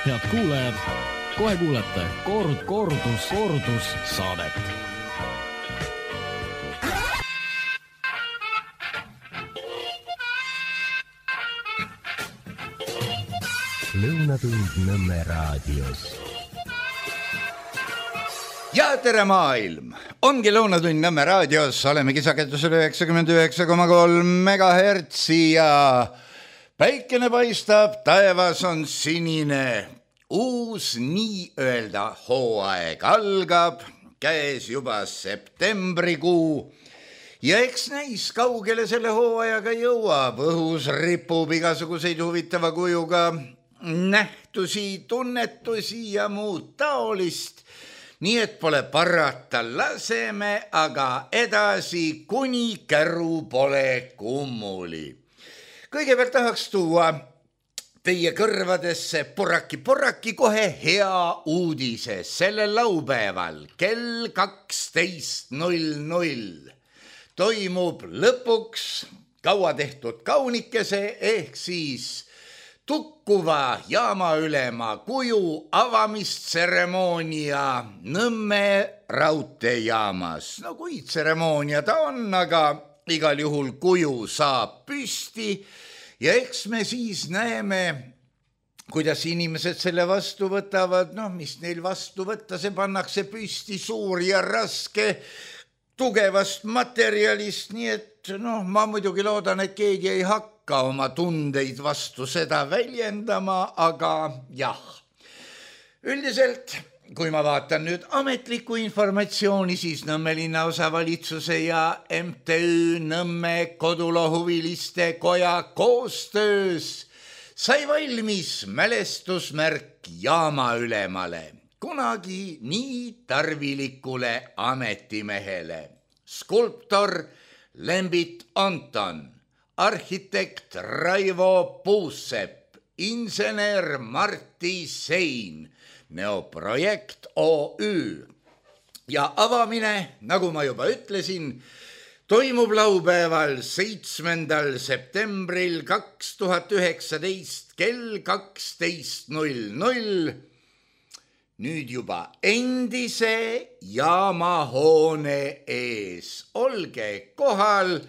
Head kuulajad, kohe kuulete kordus saadet. Lõunatund Nõmme raadios. Ja tere maailm! Ongi Lõunatund Nõmme raadios, oleme kisaketusel 99,3 MHz ja päikene paistab, taevas on sinine. Uus nii-öelda hooaeg algab, käes juba septembrikuu. Ja eks näis, kaugele selle hooajaga jõuab. Õhus ripub igasuguseid huvitava kujuga nähtusi, tunnetusi ja muud taolist. Nii et pole parata, laseme aga edasi, kuni käru pole kummuli. Kõigepealt tahaks tuua teie kõrvadesse porraki kohe hea uudise sellel laupäeval kell 12.00. Toimub lõpuks kaua tehtud kaunikese ehk siis tukkuva jaamaülema kuju avamistseremoonia Nõmme raudteejaamas. No kui tseremoonia ta on, aga igal juhul kuju saab püsti ja eks me siis näeme, kuidas inimesed selle vastu võtavad. No mis neil vastu võtta, see pannakse püsti suur ja raske tugevast materjalist, nii et ma muidugi loodan, et keegi ei hakka oma tundeid vastu seda väljendama, aga jah. Üldiselt, kui ma vaatan nüüd ametlikku informatsiooni, siis Nõmme linnaosavalitsuse ja MTÜ Nõmme kodulohuviliste koja koostöös sai valmis mälestusmärk jaamaülemale. Kunagi nii tarvilikule ametimehele. Skulptor Lembit Anton, arhitekt Raivo Puusepp, insener Martti Sein, Neoprojekt OÜ. Ja avamine, nagu ma juba ütlesin, toimub laupäeval 7. septembril 2019 kell 12.00. Nüüd juba endise jaamahoone ees. Olge kohal.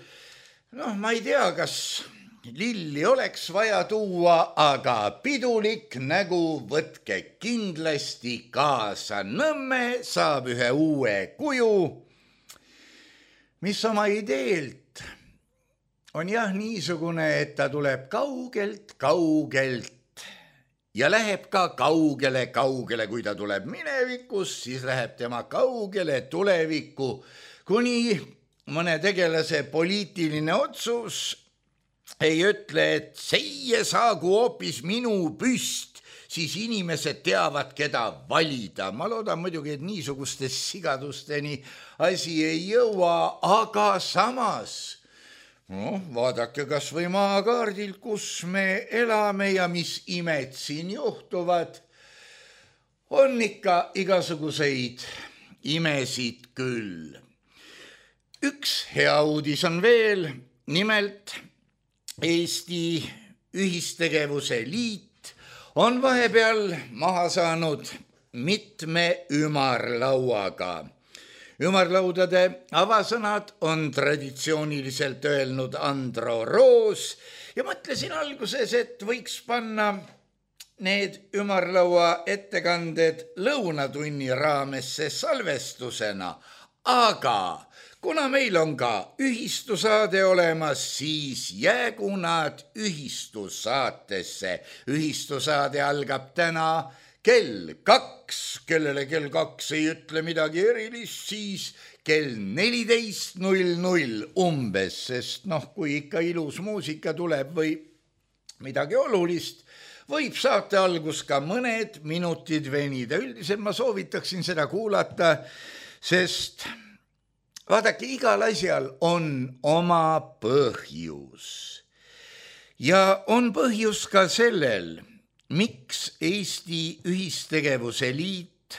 Ma ei tea, kas lilli oleks vaja tuua, aga pidulik nägu võtke kindlasti kaasa. Nõmme saab ühe uue kuju, mis oma ideelt on jah niisugune, et ta tuleb kaugelt. Ja läheb ka kaugele, kui ta tuleb minevikus, siis läheb tema kaugele tulevikku, kuni mõne tegelase poliitiline otsus ei ütle, et seie saagu hoopis minu püst, siis inimesed teavad, keda valida. Ma loodan muidugi, et niisuguste sigadusteni asi ei jõua, aga samas vaadake kas või maakaardilt, kus me elame ja mis imed siin juhtuvad. On ikka igasuguseid imesid küll. Üks hea uudis on veel, nimelt Eesti Ühistegevuse Liit on vahepeal maha saanud mitme ümarlauaga. Ümarlaudade avasõnad on traditsiooniliselt öelnud Andro Roos ja mõtlesin alguses, et võiks panna need ümarlaua ettekanded lõunatunni raamesse salvestusena, aga kuna meil on ka ühistusaade olemas, siis jäägu nad ühistusaatesse. Ühistusaade algab täna kell 2, kellele kell 2 ei ütle midagi erilist, siis kell 14.00 umbes, sest kui ikka ilus muusika tuleb või midagi olulist, võib saate algus ka mõned minutid venida. Üldiselt ma soovitaksin seda kuulata, sest vaadake, igal asjal on oma põhjus. Ja on põhjus ka sellel, miks Eesti Ühistegevuse Liit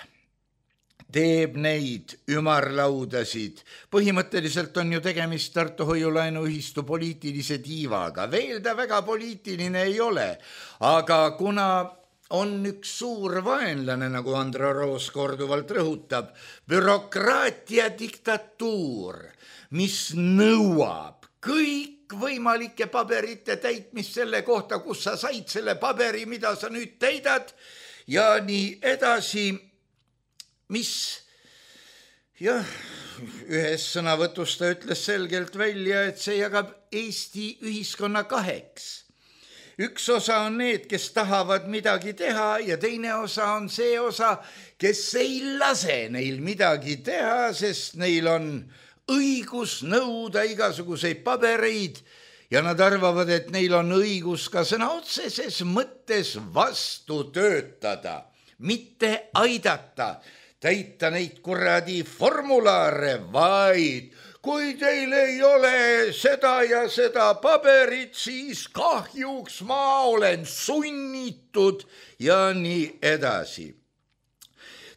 teeb neid ümarlaudasid. Põhimõtteliselt on ju tegemist Tartu Hoiulaenuühistu poliitilise tiivaga. Veel ta väga poliitiline ei ole, aga kuna on üks suur vaenlane, nagu Andro Roos korduvalt rõhutab, bürokraatia diktatuur, mis nõuab kõikvõimalike paberite täitmist selle kohta, kus sa said selle paberi, mida sa nüüd täidad ja nii edasi, mis jah, ühes sõnavõtus ta ütles selgelt välja, et see jagab Eesti ühiskonna kaheks. Üks osa on need, kes tahavad midagi teha ja teine osa on see osa, kes ei lase neil midagi teha, sest neil on õigus nõuda igasuguseid pabereid ja nad arvavad, et neil on õigus ka sõna otseses mõttes vastu töötada, mitte aidata, täita neid kuradi formulaare, vaid kui teil ei ole seda ja seda paberit, siis kahjuks ma olen sunnitud ja nii edasi.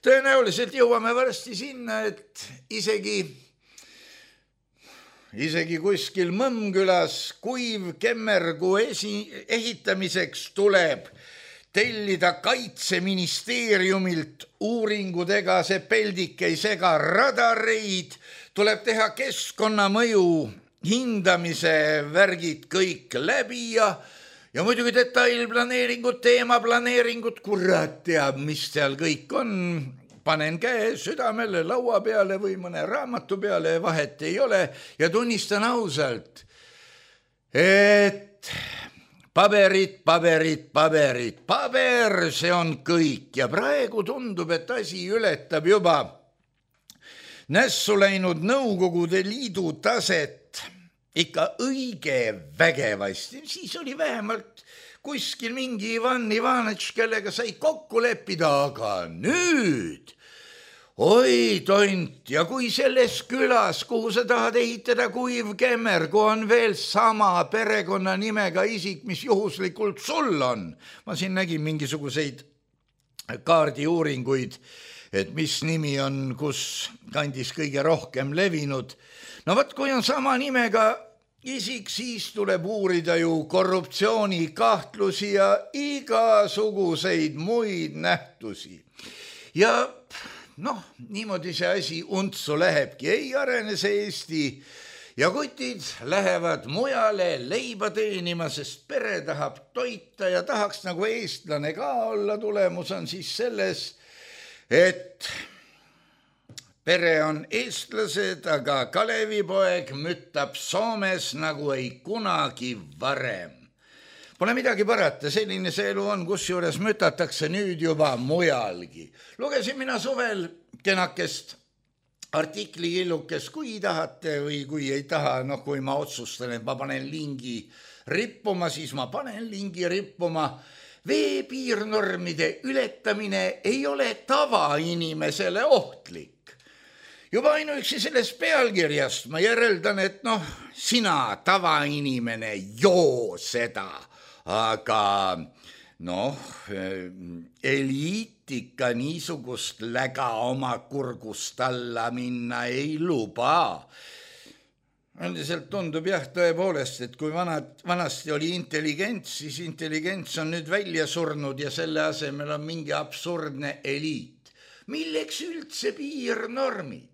Tõenäoliselt jõuame varsti sinna, et isegi kuskil Mõmmkülas kuivkemmergu ehitamiseks tuleb tellida Kaitseministeeriumilt uuringudega, see peldik ei sega radareid, tuleb teha keskkonnamõju hindamise värgid kõik läbi ja muidugi detailplaneeringud, teemaplaneeringud, kurat teab, mis seal kõik on. Panen käe südamele laua peale või mõne raamatu peale, vahet ei ole ja tunnistan ausalt, et paberid, see on kõik ja praegu tundub, et asi ületab juba nässu läinud Nõukogude Liidu taset ikka õige vägevasti. Siis oli vähemalt kuskil mingi Ivan Ivanitš, kellega sai kokku leppida, aga nüüd, oi tont, ja kui selles külas, kuhu sa tahad ehitada kuivkemmergu, on veel sama perekonnanimega isik, mis juhuslikult sul on. Ma siin nägin mingisuguseid kaardiuuringuid, et mis nimi on, kus kandis kõige rohkem levinud. No võt, kui on sama nimega isik, siis tuleb uurida ju korruptsioonikahtlusi ja igasuguseid muid nähtusi. Ja niimoodi see asi untsu lähebki, ei arene see Eesti ja kutid lähevad mujale leiba teenima, sest pere tahab toita ja tahaks nagu eestlane ka olla. Tulemus on siis selles, et pere on eestlased, aga Kalevipoeg müttab Soomes nagu ei kunagi varem. Pole midagi parata, selline see elu on, kusjuures mütatakse nüüd juba mujalgi. Lugesin mina suvel kenakest artiklihillukest, kui tahate või kui ei taha, kui ma otsustan, et ma panen lingi rippuma, siis ma panen lingi rippuma. Veepiirnormide ületamine ei ole tavainimesele ohtlik. Juba ainuüksi sellest pealkirjast ma järeldan, et sina tavainimene joo seda, aga eliit ikka niisugust läga oma kurgust alla minna ei luba. Üldiselt tundub jah tõepoolest, et kui vanasti oli intelligents, siis intelligents on nüüd välja surnud ja selle asemel on mingi absurdne eliit. Milleks üldse piirnormid?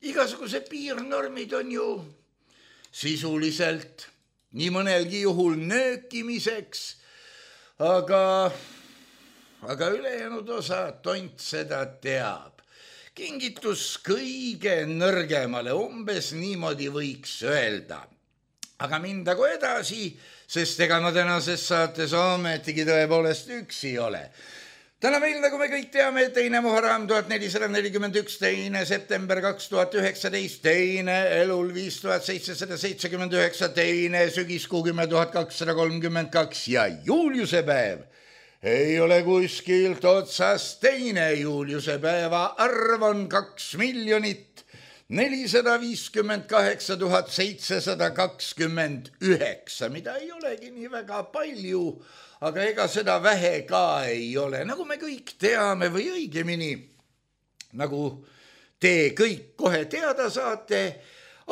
Igasugused piirnormid on ju sisuliselt nii mõnelgi juhul nöökimiseks, aga ülejäänud osa tont seda teab. Kingitus kõige nõrgemale, umbes niimoodi võiks öelda. Aga mindagu edasi, sest ega ma tänases saates ometigi tõepoolest üksi ole. Täna meil, nagu me kõik teame, 2. Muharram 1441, 2. september 2019, 2. elul 5779, 2. sügiskuu 10.232 ja Juliuse päev. Ei ole kuskilt otsast 2. Juliuse päeva arv on 2 458 729, mida ei olegi nii väga palju, aga ega seda vähe ka ei ole. Nagu me kõik teame või õigemini, nagu te kõik kohe teada saate,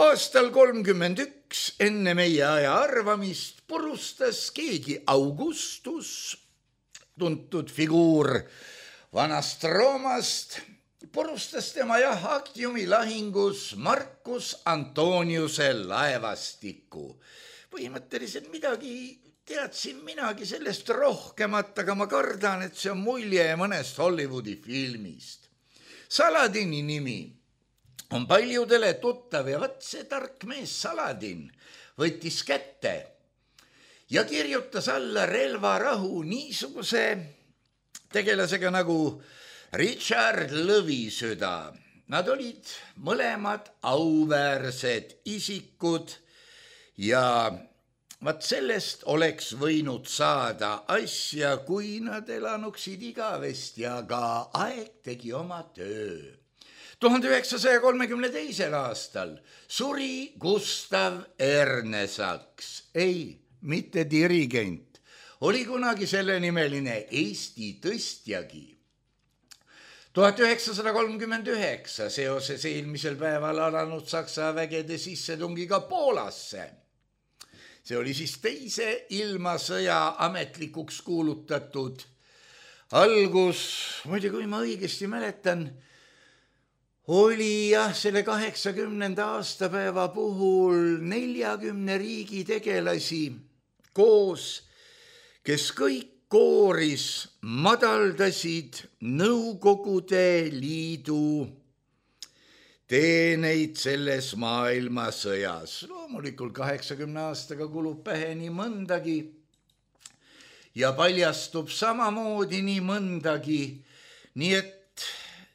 aastal 31 enne meie aja arvamist purustas keegi Augustus tuntud figuur vanast Roomast, purustas tema Actiumi lahingus Marcus Antoniuse laevastiku. Põhimõtteliselt midagi teadsin minagi sellest rohkemat, aga ma kardan, et see on mulje mõnest Hollywoodi filmist. Saladini nimi on paljudele tuttav ja vaat see tark mees Saladin võttis kätte ja kirjutas alla relvarahu niisuguse tegelasega nagu Richard Lõvisüda. Nad olid mõlemad auväärsed isikud ja vaat sellest oleks võinud saada asja, kui nad elanuksid igavesti, aga aeg tegi oma töö. 1932. aastal suri Gustav Ernesaks, ei, mitte dirigent, oli kunagi sellenimeline Eesti tõstjagi. 1939 seoses eelmisel päeval alanud Saksa vägede sissetungiga Poolasse. See oli siis teise ilmasõja ametlikuks kuulutatud algus, muide kui ma õigesti mäletan, oli selle 80. aastapäeva puhul 40 riigi tegelasi koos, kes kõik kooris madaldasid Nõukogude Liidu teeneid selles maailmasõjas. Loomulikult 80 aastaga kulub pähe nii mõndagi ja paljastub samamoodi nii mõndagi, nii et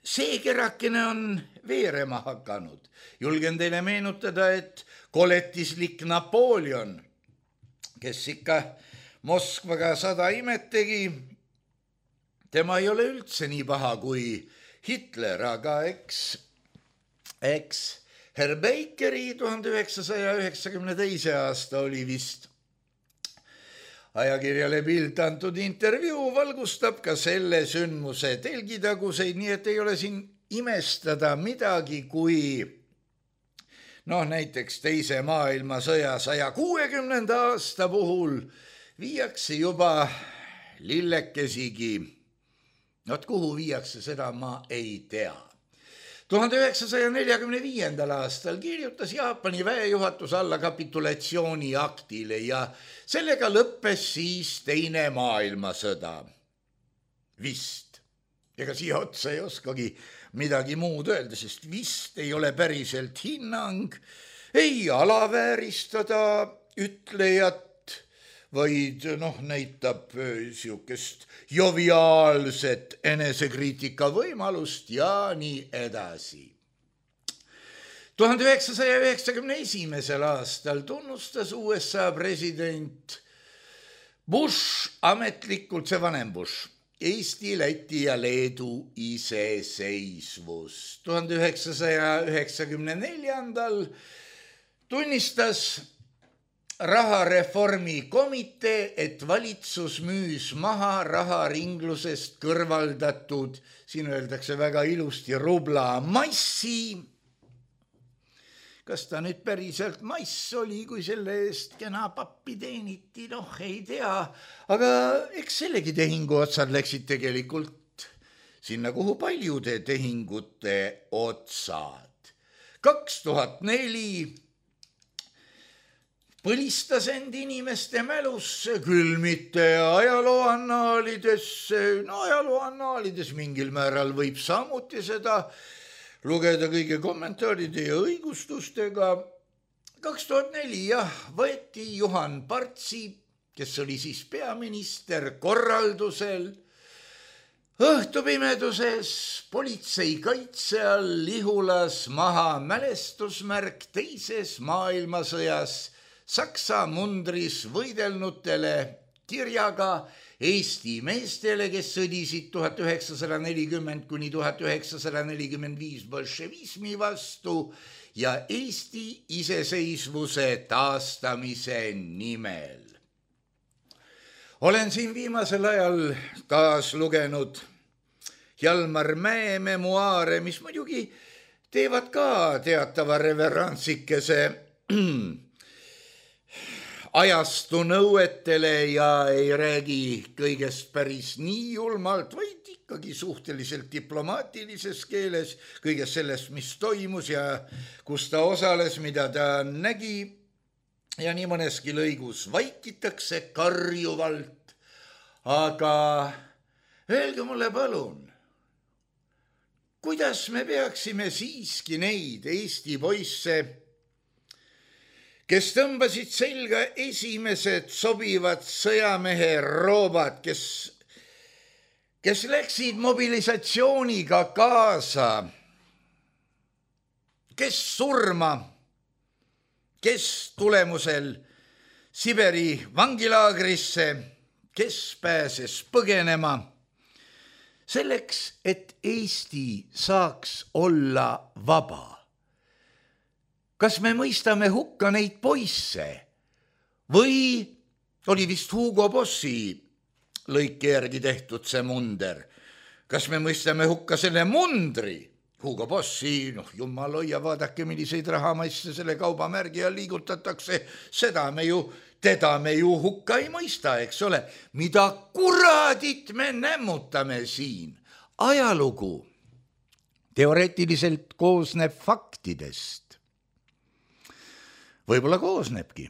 see kerakene on veerema hakanud. Julgen teile meenutada, et koletislik Napoleon, kes ikka Moskvaga 100 imet tegi, tema ei ole üldse nii paha kui Hitler, aga eks Herr Bakeri 1992. aasta oli vist ajakirjale Bild antud intervjuu valgustab ka selle sündmuse telgitaguseid, nii et ei ole siin imestada midagi, kui näiteks teise maailmasõja 160. aasta puhul viiakse juba lillekesigi. Kuhu viiakse, seda ma ei tea. 1945. aastal kirjutas Jaapani väejuhatus alla kapitulatsiooni aktile ja sellega lõppes siis teine maailmasõda. Vist. Ega siia otsa ei oskagi midagi muud öelda, sest vist ei ole päriselt hinnang, ei alavääristada ütlejat, vaid näitab siukest joviaalset enesekriitika võimalust ja nii edasi. 1991. aastal tunnustas USA president Bush ametlikult, see vanem Bush, Eesti, Läti ja Leedu iseseisvust. 1994. tunnistas rahareformi komitee, et valitsus müüs maha raharinglusest kõrvaldatud, siin öeldakse väga ilusti, rubla massi. Kas ta nüüd päriselt mass oli, kui selle eest kena pappi teeniti, ei tea, aga eks sellegi tehingu otsad läksid tegelikult sinna, kuhu paljude tehingute otsad. 2004 põlistas end inimeste mälusse, küll mitte ajalooannaalidesse, ajalooannaalides mingil määral võib samuti seda lugeda kõige kommentaaride ja õigustustega. 2004 võeti Juhan Partsi, kes oli siis peaminister, korraldusel õhtupimeduses politsei kaitse all Lihulas maha mälestusmärk teises maailmasõjas Saksa mundris võidelnutele kirjaga Eesti meestele, kes sõdisid 1940 kuni 1945 bolševismi vastu ja Eesti iseseisvuse taastamise nimel. Olen siin viimasel ajal taas lugenud Hjalmar Mäe memuaare, mis muidugi teevad ka teatava reverantsikese ajastu nõuetele ja ei räägi kõigest päris nii julmalt, vaid ikkagi suhteliselt diplomaatilises keeles kõigest sellest, mis toimus ja kus ta osales, mida ta nägi. Ja nii mõneski lõigus vaikitakse karjuvalt, aga öelge mulle palun, kuidas me peaksime siiski neid Eesti poisse, kes tõmbasid selga esimesed sobivad sõjamehe roobad, kes läksid mobilisatsiooniga kaasa, kes surma, kes tulemusel Siberi vangilaagrisse, kes pääses põgenema, selleks, et Eesti saaks olla vaba. Kas me mõistame hukka neid poisse või oli vist Hugo Bossi lõike järgi tehtud see munder? Kas me mõistame hukka selle mundri? Hugo Bossi, jumal hoia, vaadake, milliseid rahamaisse selle kaubamärgi all liigutatakse, teda me ju hukka ei mõista, eks ole. Mida kuradit me nämmutame siin? Ajalugu teoreetiliselt koosneb faktidest. Võib-olla koosnebki,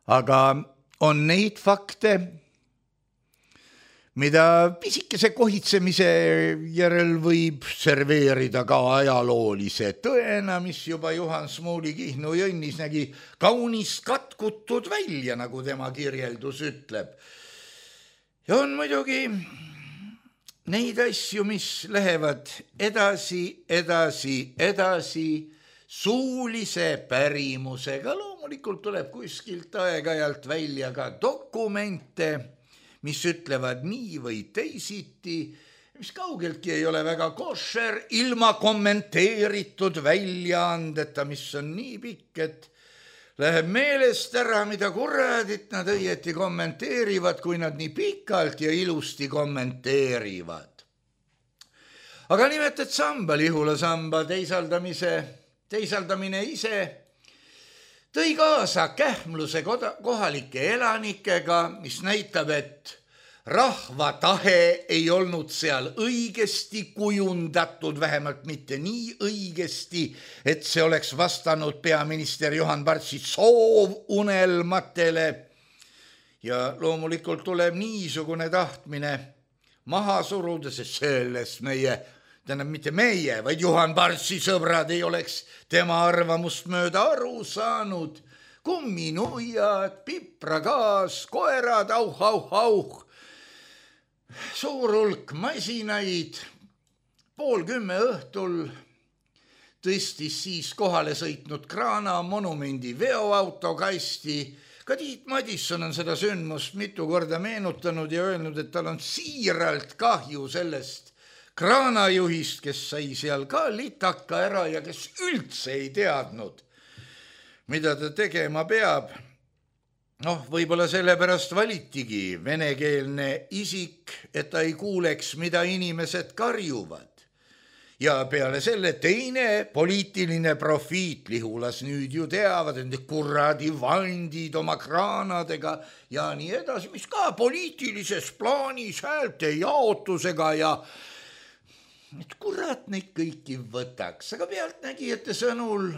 aga on neid fakte, mida pisikese kohitsemise järel võib serveerida ka ajaloolise tõena, mis juba Juhan Smuuli Kihnu jõnnis nägi kaunis katkutud välja, nagu tema kirjeldus ütleb. Ja on muidugi neid asju, mis lähevad edasi suulise pärimusega. Loomulikult tuleb kuskilt aeg-ajalt välja ka dokumente, mis ütlevad nii või teisiti, mis kaugeltki ei ole väga košer, ilma kommenteeritud väljaandeta, mis on nii pikk, et läheb meelest ära, mida kuradit nad õieti kommenteerivad, kui nad nii pikalt ja ilusti kommenteerivad. Aga nimetad samba, Lihula samba teisaldamine ise tõi kaasa kähmluse kohalike elanikega, mis näitab, et rahva tahe ei olnud seal õigesti kujundatud, vähemalt mitte nii õigesti, et see oleks vastanud peaminister Juhan Partsi soovunelmatele. Ja loomulikult tuleb niisugune tahtmine maha suruda, sest sellest mitte meie, vaid Juhan Partsi sõbrad ei oleks tema arvamust mööda aru saanud. Kumminuiad, pipragaas, koerad, auh. Suur hulk masinaid, 9:30 õhtul tõstis siis kohale sõitnud Kraana monumendi veoauto kasti. Ka Tiit Madisson on seda sündmust mitu korda meenutanud ja öelnud, et tal on siiralt kahju sellest kraanajuhist, kes sai seal ka litaka ära ja kes üldse ei teadnud, mida ta tegema peab. Võib-olla sellepärast valitigi venekeelne isik, et ta ei kuuleks, mida inimesed karjuvad. Ja peale selle teine poliitiline profiit, Lihulas nüüd ju teavad, et kuradi vandid oma kraanadega ja nii edasi, mis ka poliitilises plaanis häälte jaotusega ja et kurat neid kõiki võtaks, aga pealtnägijate sõnul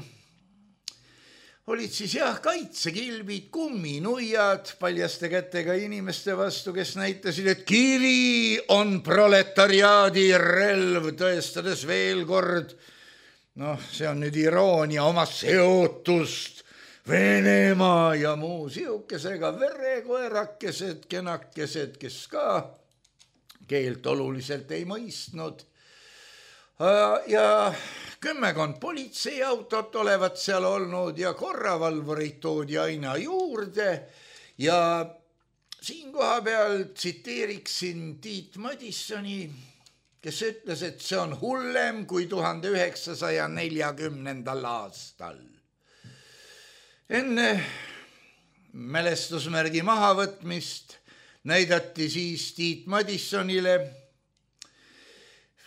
olid siis kaitsekilbid, kumminuiad paljaste kätega inimeste vastu, kes näitasid, et kivi on proletariaadi relv, tõestades veel kord, see on nüüd iroonia, oma seotust Venemaa ja muu siukesega, verekoerakesed, kenakesed, kes ka keelt oluliselt ei mõistnud. Ja 10 politseiautot olevat seal olnud ja korravalvurid toodi aina juurde ja siin koha peal tsiteeriksin Tiit Madissoni, kes ütles, et see on hullem kui 1940. aastal. Enne mälestusmärgi mahavõtmist näidati siis Tiit Madissonile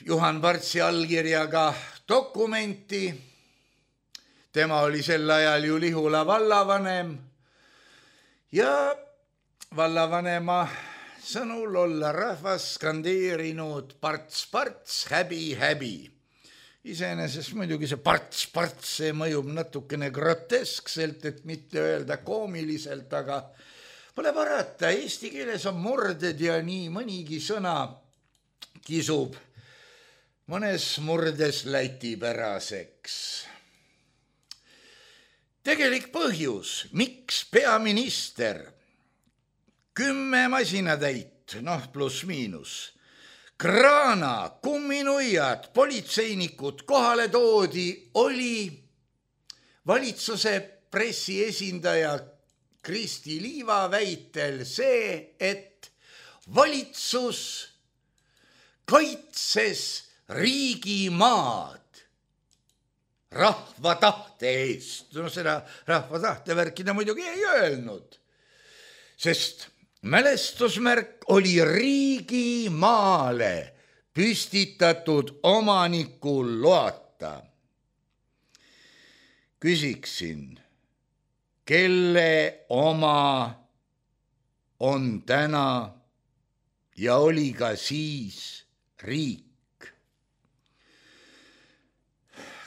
Juhan Partsi allkirjaga dokumenti. Tema oli sel ajal ju Lihula vallavanem Ja vallavanema sõnul olla rahvas skandeerinud parts, häbi. Iseenesest muidugi see parts, see mõjub natukene groteskselt, et mitte öelda koomiliselt, aga pole parata, eesti keeles on murded ja nii mõnigi sõna kisub mõnes murdes lätipäraseks. Tegelik põhjus, miks peaminister 10 masinatäit, pluss miinus, kraana, kumminuiad, politseinikud kohale toodi, oli valitsuse pressiesindaja Kristi Liiva väitel see, et valitsus kaitses riigimaad rahva tahte eest. Seda rahva tahte värki ta muidugi ei öelnud, sest mälestusmärk oli riigimaale püstitatud omanikul loata. Küsiksin, kelle oma on täna ja oli ka siis riik?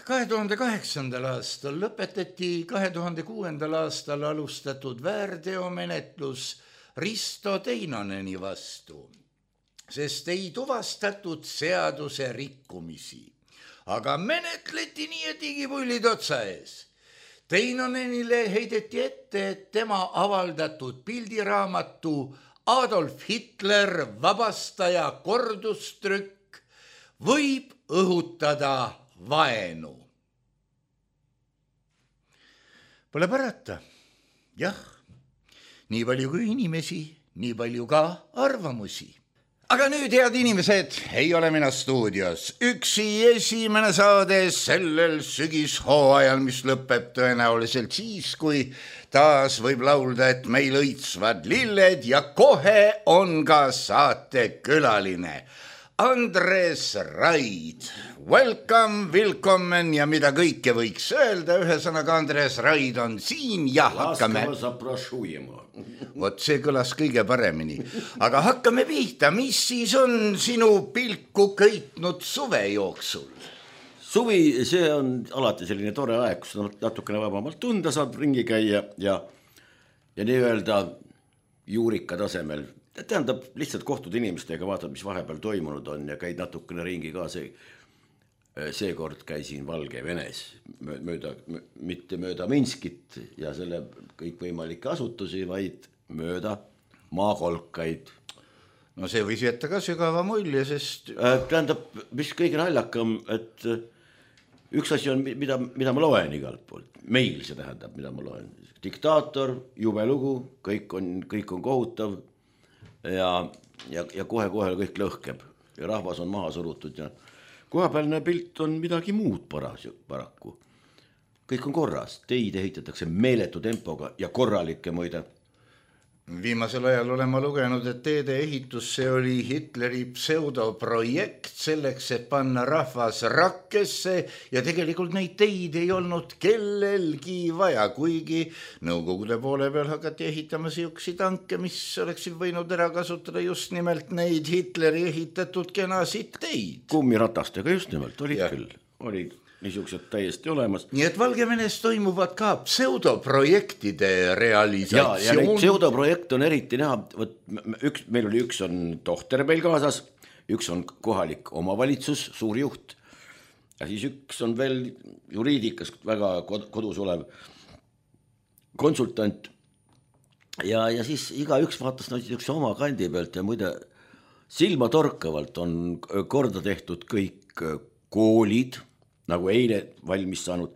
2008. aastal lõpetati 2006. aastal alustatud väärteomenetlus Risto Teinoneni vastu, sest ei tuvastatud seaduse rikkumisi, aga menetleti nii, et igipullid otsa ees. Teinonenile heideti ette, et tema avaldatud pildiraamatu Adolf Hitler vabastaja kordustrükk võib õhutada vaenu. Pole parata, jah, nii palju kui inimesi, nii palju ka arvamusi. Aga nüüd, head inimesed, ei ole mina stuudios. Üksi esimene saade sellel sügishooajal, mis lõpeb tõenäoliselt siis, kui taas võib laulda, et meil õitsvad lilled ja kohe on ka saate külaline Andres Raid. Welcome, willkommen ja mida kõike võiks öelda. Ühesõnaga Andres Raid on siin ja hakkame. Vot see kõlas kõige paremini. Aga hakkame pihta. Mis siis on sinu pilku köitnud suve jooksul? Suvi, see on alati selline tore aeg, kus natukene vabamalt tunda saab ringi käia ja nii-öelda juurika tasemel. Tähendab, lihtsalt kohtud inimestega, vaatad, mis vahepeal toimunud on ja käid natukene ringi ka. Seekord käisin Valgevenes, mitte mööda Minskit ja selle kõikvõimalikke asutusi, vaid mööda maakolkaid. No see võis jätta ka sügava mulje, sest... Tähendab, mis kõige naljakam, et üks asi on, mida ma loen igalt poolt. Meil see tähendab, mida ma loen. Diktaator, jube lugu, kõik on kohutav. Ja kohe kõik lõhkeb ja rahvas on maha surutud ja kohapealne pilt on midagi muud paraku. Kõik on korras, teid ehitatakse meeletu tempoga ja korralikke muide. Viimasel ajal olen ma lugenud, et teede ehitus see oli Hitleri pseudoprojekt selleks, et panna rahvas rakkesse ja tegelikult neid teid ei olnud kellelgi vaja, kuigi nõukogude poole peal hakati ehitama siuksi tanke, mis oleksid võinud ära kasutada just nimelt neid Hitleri ehitatud kenasid teid. Kummiratastega just nimelt, olid niisugused täiesti olemas. Nii et Valgevenes toimuvad ka pseudoprojektide realisatsioon. Ja neid pseudoprojekte on eriti näha, meil oli üks on tohter meil kaasas, üks on kohalik omavalitsus, suur juht ja siis üks on veel juriidikas väga kodus olev konsultant ja siis igaüks vaatas oma kandi pealt ja muide silmatorkavalt on korda tehtud kõik koolid, nagu eile valmis saanud,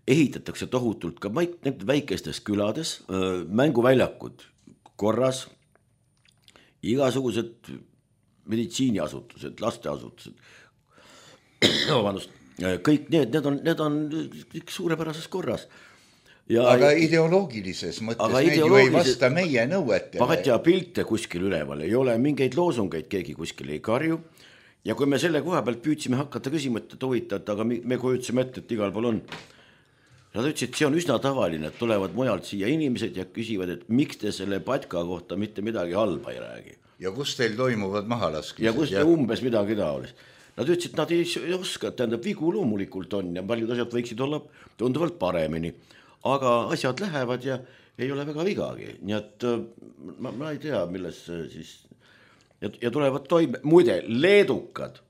ehitatakse tohutult ka väikestes külades, mänguväljakud korras, igasugused meditsiiniasutused, lasteasutused, kõik need on suurepärases korras. Aga ideoloogilises mõttes need ju ei vasta meie nõuetele. Vahet ja pilte kuskil üleval, ei ole mingeid loosungeid, keegi kuskil ei karju. Ja kui me selle koha pealt püüdsime hakata küsima, et huvitad, aga me kujutsime ette, et igal pool on. Nad ütlesid, see on üsna tavaline, et tulevad mujalt siia inimesed ja küsivad, et miks te selle patka kohta mitte midagi halba ei räägi. Ja kus teil toimuvad mahalaskmised? Ja kus te umbes midagi taolist. Nad ütlesid, nad ei oska, tähendab vigu loomulikult on ja paljud asjad võiksid olla tunduvalt paremini. Aga asjad lähevad ja ei ole väga vigagi. Nii et ma ei tea, milles siis... Ja tulevad toime. Muide, leedukad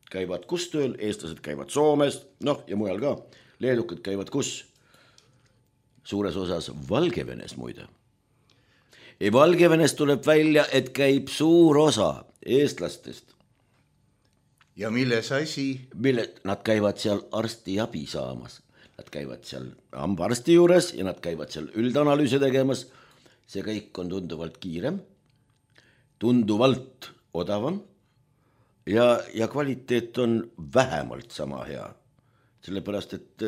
käivad kus tööl, eestlased käivad Soomes, noh ja mujal ka. Leedukad käivad kus? Suures osas Valgevenes muide. Ja Valgevenes tuleb välja, et käib suur osa eestlastest. Ja milles asi? Nad käivad seal arsti abi saamas. Nad käivad seal hambaarsti juures ja nad käivad seal üldanalüüse tegemas. See kõik on tunduvalt kiirem, tunduvalt odavam ja kvaliteet on vähemalt sama hea. Sellepärast, et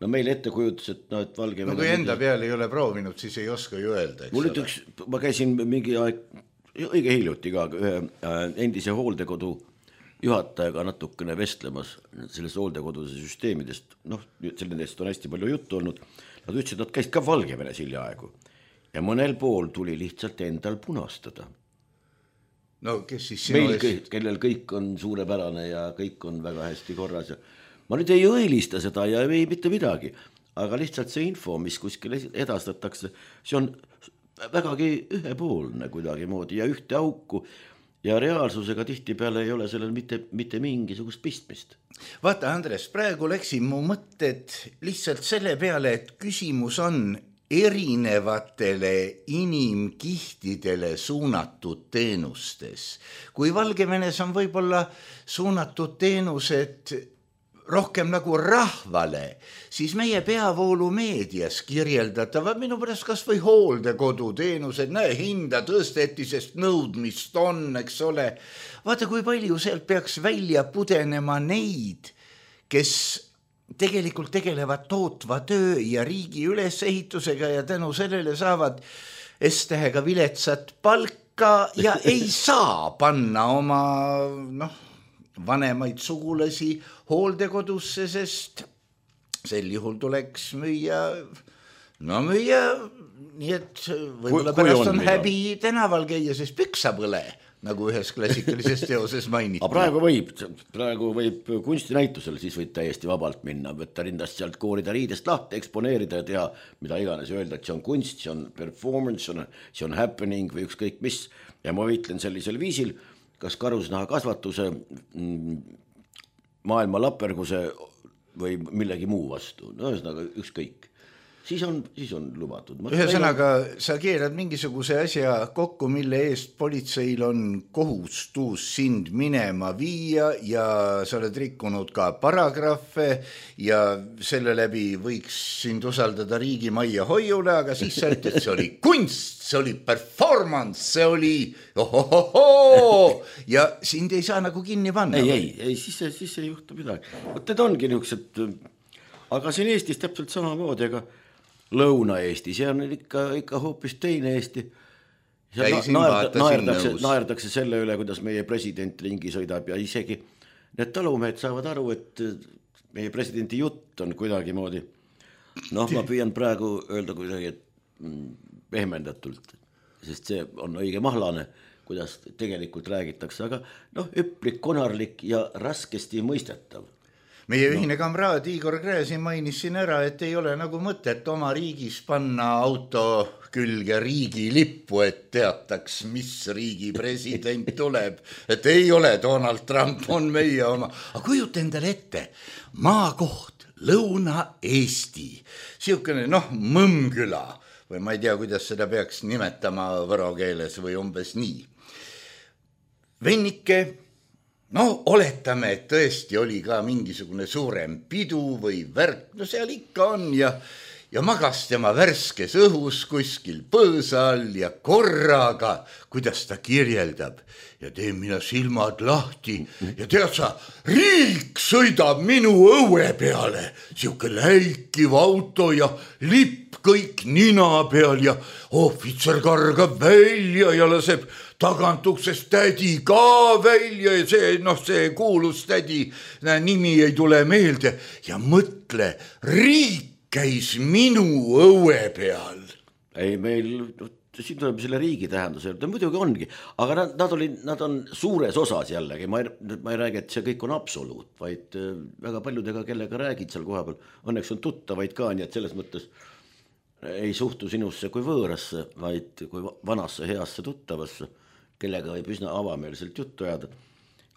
no meil ettekujutus, et Valgevene... No kui enda peal ei ole proovinud, siis ei oska ju öelda. Mul ütleks, ma käisin mingi aeg, õige hiljuti ka ühe endise hooldekodu juhatajaga natukene vestlemas sellest hooldekoduse süsteemidest. Noh, sellest on hästi palju juttu olnud. Nad ütlesid, nad käisid ka Valgevenes hiljaaegu. Ja mõnel pool tuli lihtsalt endal punastada. No kes siis meil kõik, kellel kõik on suurepärane ja kõik on väga hästi korras ja ma nüüd ei õilista seda ja ei mitte midagi, aga lihtsalt see info, mis kuskil edastatakse, see on vägagi ühepoolne kuidagi moodi ja ühte auku ja reaalsusega tihtipeale ei ole sellel mitte mingisugust pistmist. Vaata, Andres, praegu läksin mu mõtted lihtsalt selle peale, et küsimus on erinevatele inimkihtidele suunatud teenustes. Kui Valgevenes on võib-olla suunatud teenused rohkem nagu rahvale, siis meie peavoolumeedias kirjeldatavad minu pärast kas või hooldekodu teenused, hinda tõsteti, sest nõudmist on, eks ole. Vaata, kui palju sealt peaks välja pudenema neid, kes tegelikult tegelevad tootva töö ja riigi ülesehitusega ja tänu sellele saavad S-tähega viletsat palka ja ei saa panna oma vanemaid sugulasi hooldekodusse, sest sel juhul tuleks müüa, nii et võib-olla pärast on häbi tänaval käia, sest püksa põle, nagu ühes klassikalises teoses mainiti. Praegu võib kunstinäitusel, siis võid täiesti vabalt minna, võtta rindast sealt koorida riidest lahti, eksponeerida ja teha, mida iganes öelda, et see on kunst, see on performance, see on happening või ükskõik mis. Ja ma võitlen sellisel viisil, kas karusnaha kasvatuse, maailma laperguse või millegi muu vastu. No ühesõnaga ükskõik. Siis on lubatud. Ühesõnaga, sa keerad mingisuguse asja kokku, mille eest politseil on kohustus sind minema viia ja sa oled rikkunud ka paragrahve ja selle läbi võiks sind usaldada riigi majja hoiule, aga siis sa ütled, see oli kunst, see oli performance, see oli ja sind ei saa nagu kinni panna. Ei, siis ei juhtu midagi. Need ongi niisugused, aga siin Eestis täpselt samamoodi, aga Lõuna-Eesti, see on ikka hoopis teine Eesti. Naerdakse selle üle, kuidas meie president ringi sõidab ja isegi need talumehed saavad aru, et meie presidendi jutt on kuidagi moodi. Ma püüan praegu öelda kuidagi pehmendatult, sest see on õige mahlane, kuidas tegelikult räägitakse, aga üplik, konarlik ja raskesti mõistetav. Meie ühine kamraad Igor Gräzin mainis siin ära, et ei ole nagu mõtet oma riigis panna auto külge riigi lippu, et teataks, mis riigi president tuleb. Et ei ole Donald Trump, on meie oma. Aga kujuta endale ette, maakoht, Lõuna-Eesti, siukene Mõmmküla või ma ei tea, kuidas seda peaks nimetama võro keeles või umbes nii. Vennike, oletame, et tõesti oli ka mingisugune suurem pidu või värk, seal ikka on ja magas tema värskes õhus kuskil põõsa all ja korraga, kuidas ta kirjeldab ja teen mina silmad lahti ja tead sa, riik sõidab minu õue peale, siuke läikiv auto ja lipp kõik nina peal ja ohvitser kargab välja ja laseb tagantuksest tädi ka välja ja see kuulus tädi nimi ei tule meelde ja mõtle, riik käis minu õue peal. Ei, meil, siin tuleb selle riigi tähenduse, muidugi ongi, aga nad on suures osas jällegi, ma ei räägi, et see kõik on absoluut, vaid väga paljudega, kellega räägid seal koha peal, õnneks on tuttavaid ka, nii et selles mõttes ei suhtu sinusse kui võõrasse, vaid kui vanasse heasse tuttavasse, kellega võib üsna avameelselt juttu ajada.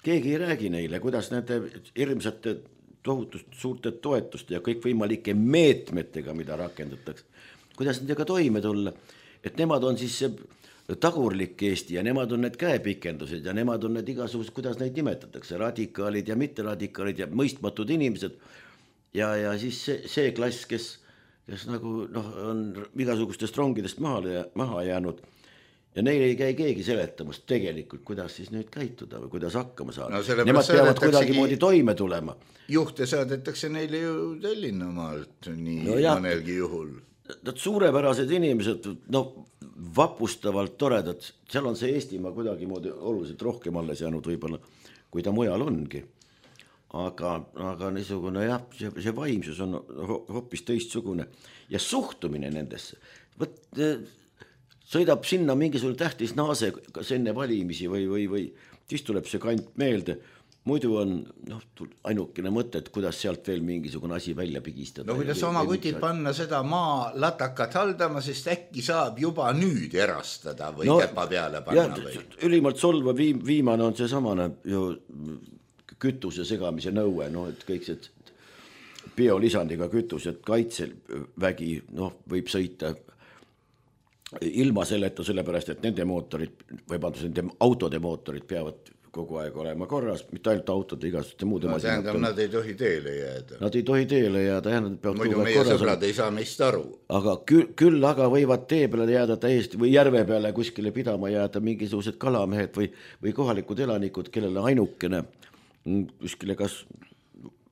Keegi ei räägi neile, kuidas nende hirmsate tohutust suurte toetuste ja kõik võimalike meetmetega, mida rakendatakse, kuidas nendega toime tulla, et nemad on siis see tagurlik Eesti ja nemad on need käepikendused ja nemad on need igasugused, kuidas neid nimetatakse, radikaalid ja mitteradikaalid ja mõistmatud inimesed ja siis see klass, kes nagu on igasugustest rongidest maha jäänud ja neile ei käi keegi seletamas tegelikult, kuidas siis nüüd käituda või kuidas hakkama saada. No, nemad peavad kuidagi moodi toime tulema. Juhte saadetakse neile ju Tallinnamaalt nii mõnelgi juhul. Nad suurepärased inimesed, vapustavalt toredad, seal on see Eestimaa kuidagi moodi oluliselt rohkem alles jäänud võibolla, kui ta mujal ongi. Aga niisugune see vaimsus on hoopis teistsugune ja suhtumine nendesse. Sõidab sinna mingisugune tähtis naase kas enne valimisi või siis tuleb see kant meelde. Muidu on ainukene mõte, et kuidas sealt veel mingisugune asi välja pigistada. No kuidas oma kutid panna seda maa latakat haldama, sest äkki saab juba nüüd erastada või käpa peale panna või? Ülimalt solva viimane on see samane ju kütuse segamise nõue, et kõik see biolisandiga kütus, et kaitsevägi võib sõita ilma selleta, sellepärast, et nende mootorid, nende autode mootorid peavad kogu aeg olema korras, mitte ainult autode igasuguste muude tähendab, nad ei tohi teele jääda. Nad ei tohi teele jääda, muidu meie sõbrad ei saa meist aru. Aga küll aga võivad tee peale jääda täiesti või järve peale kuskile pidama jääda mingisugused kalamehed või kohalikud elanikud, kellele ainukene kuskile kas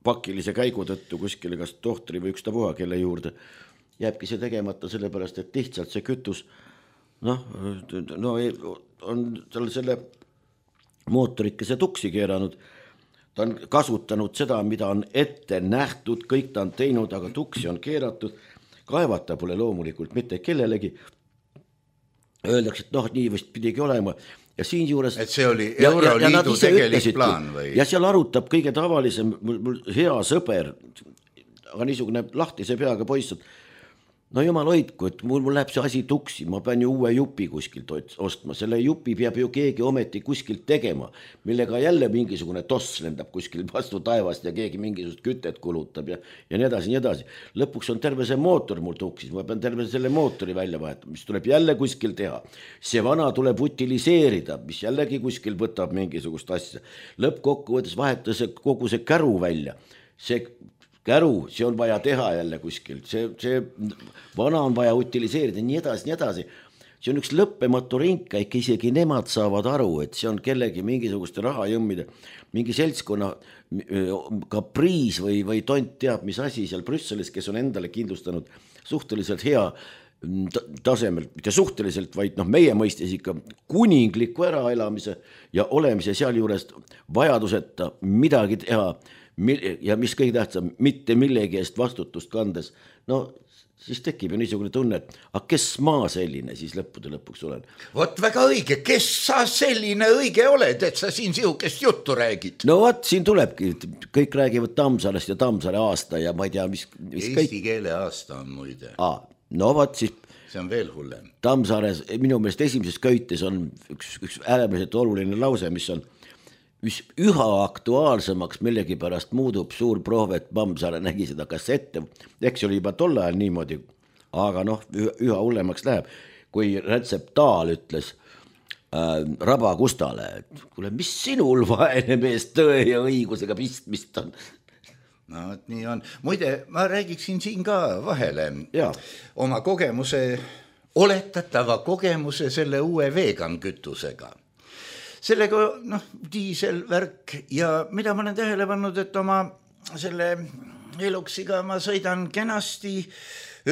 pakilise käigu tõttu kuskile kas tohtri või ükstapuha kelle juurde jääbki see tegemata sellepärast, et lihtsalt see kütus on tal selle mootorikese tuksi keeranud, ta on kasutanud seda, mida on ette nähtud, kõik ta on teinud, aga tuksi on keeratud, kaevata pole loomulikult mitte kellelegi, öeldakse, et nii vist pidigi olema ja siin juures et see oli Euroliidu tegelik plaan või? Ja seal arutab kõige tavalisem mul hea sõber, aga niisugune lahtise peaga poiss, jumal hoidku, et mul läheb see asi tuksi, ma pean ju uue jupi kuskilt ostma, selle jupi peab ju keegi ometi kuskilt tegema, millega jälle mingisugune toss lendab kuskil vastu taevast ja keegi mingisugust kütet kulutab ja nii edasi. Lõpuks on terve see mootor mul tuksis, ma pean terve selle mootori välja vahetama, mis tuleb jälle kuskil teha. See vana tuleb utiliseerida, mis jällegi kuskil võtab mingisugust asja. Lõppkokkuvõttes vahetada kogu see käru välja, see käru, see on vaja teha jälle kuskil, see vana on vaja utiliseerida, nii edasi. See on üks lõppematu rinka, ikka isegi nemad saavad aru, et see on kellegi mingisuguste rahajõmmide, mingi seltskonna kapriis või tont teab, mis asi seal Brüsselis, kes on endale kindlustanud suhteliselt hea tasemel, mitte suhteliselt, vaid meie mõistes ikka kuningliku äraelamise ja olemise seal juures vajaduseta midagi teha, ja mis kõige tähtsam, mitte millegi eest vastutust kandes, siis tekib ju niisugune tunne, et kes ma selline siis lõppude lõpuks olen. Vot väga õige, kes sa selline õige oled, et sa siin sihukest juttu räägid? Siin tulebki, kõik räägivad Tammsaarest ja Tammsaare aasta ja ma ei tea, mis Eesti keele aasta on muide. Siis see on veel hullem. Tammsaares minu meelest esimeses köites on üks äärmiselt oluline lause, mis on üha aktuaalsemaks millegipärast muudub suur Prohvet Tammsaare nägi seda kassette, eks oli juba tol ajal niimoodi, aga üha hullemaks läheb, kui Rätsep Taal ütles Raba Kustale, et kuule, mis sinul vaene mees tõe ja õigusega pistmist on? Nii on. Muide, ma räägiksin siin ka vahele oma oletatava kogemuse selle uue vegan kütusega. Sellega diiselvärk ja mida ma olen tähele pannud, et oma selle eluksiga ma sõidan kenasti,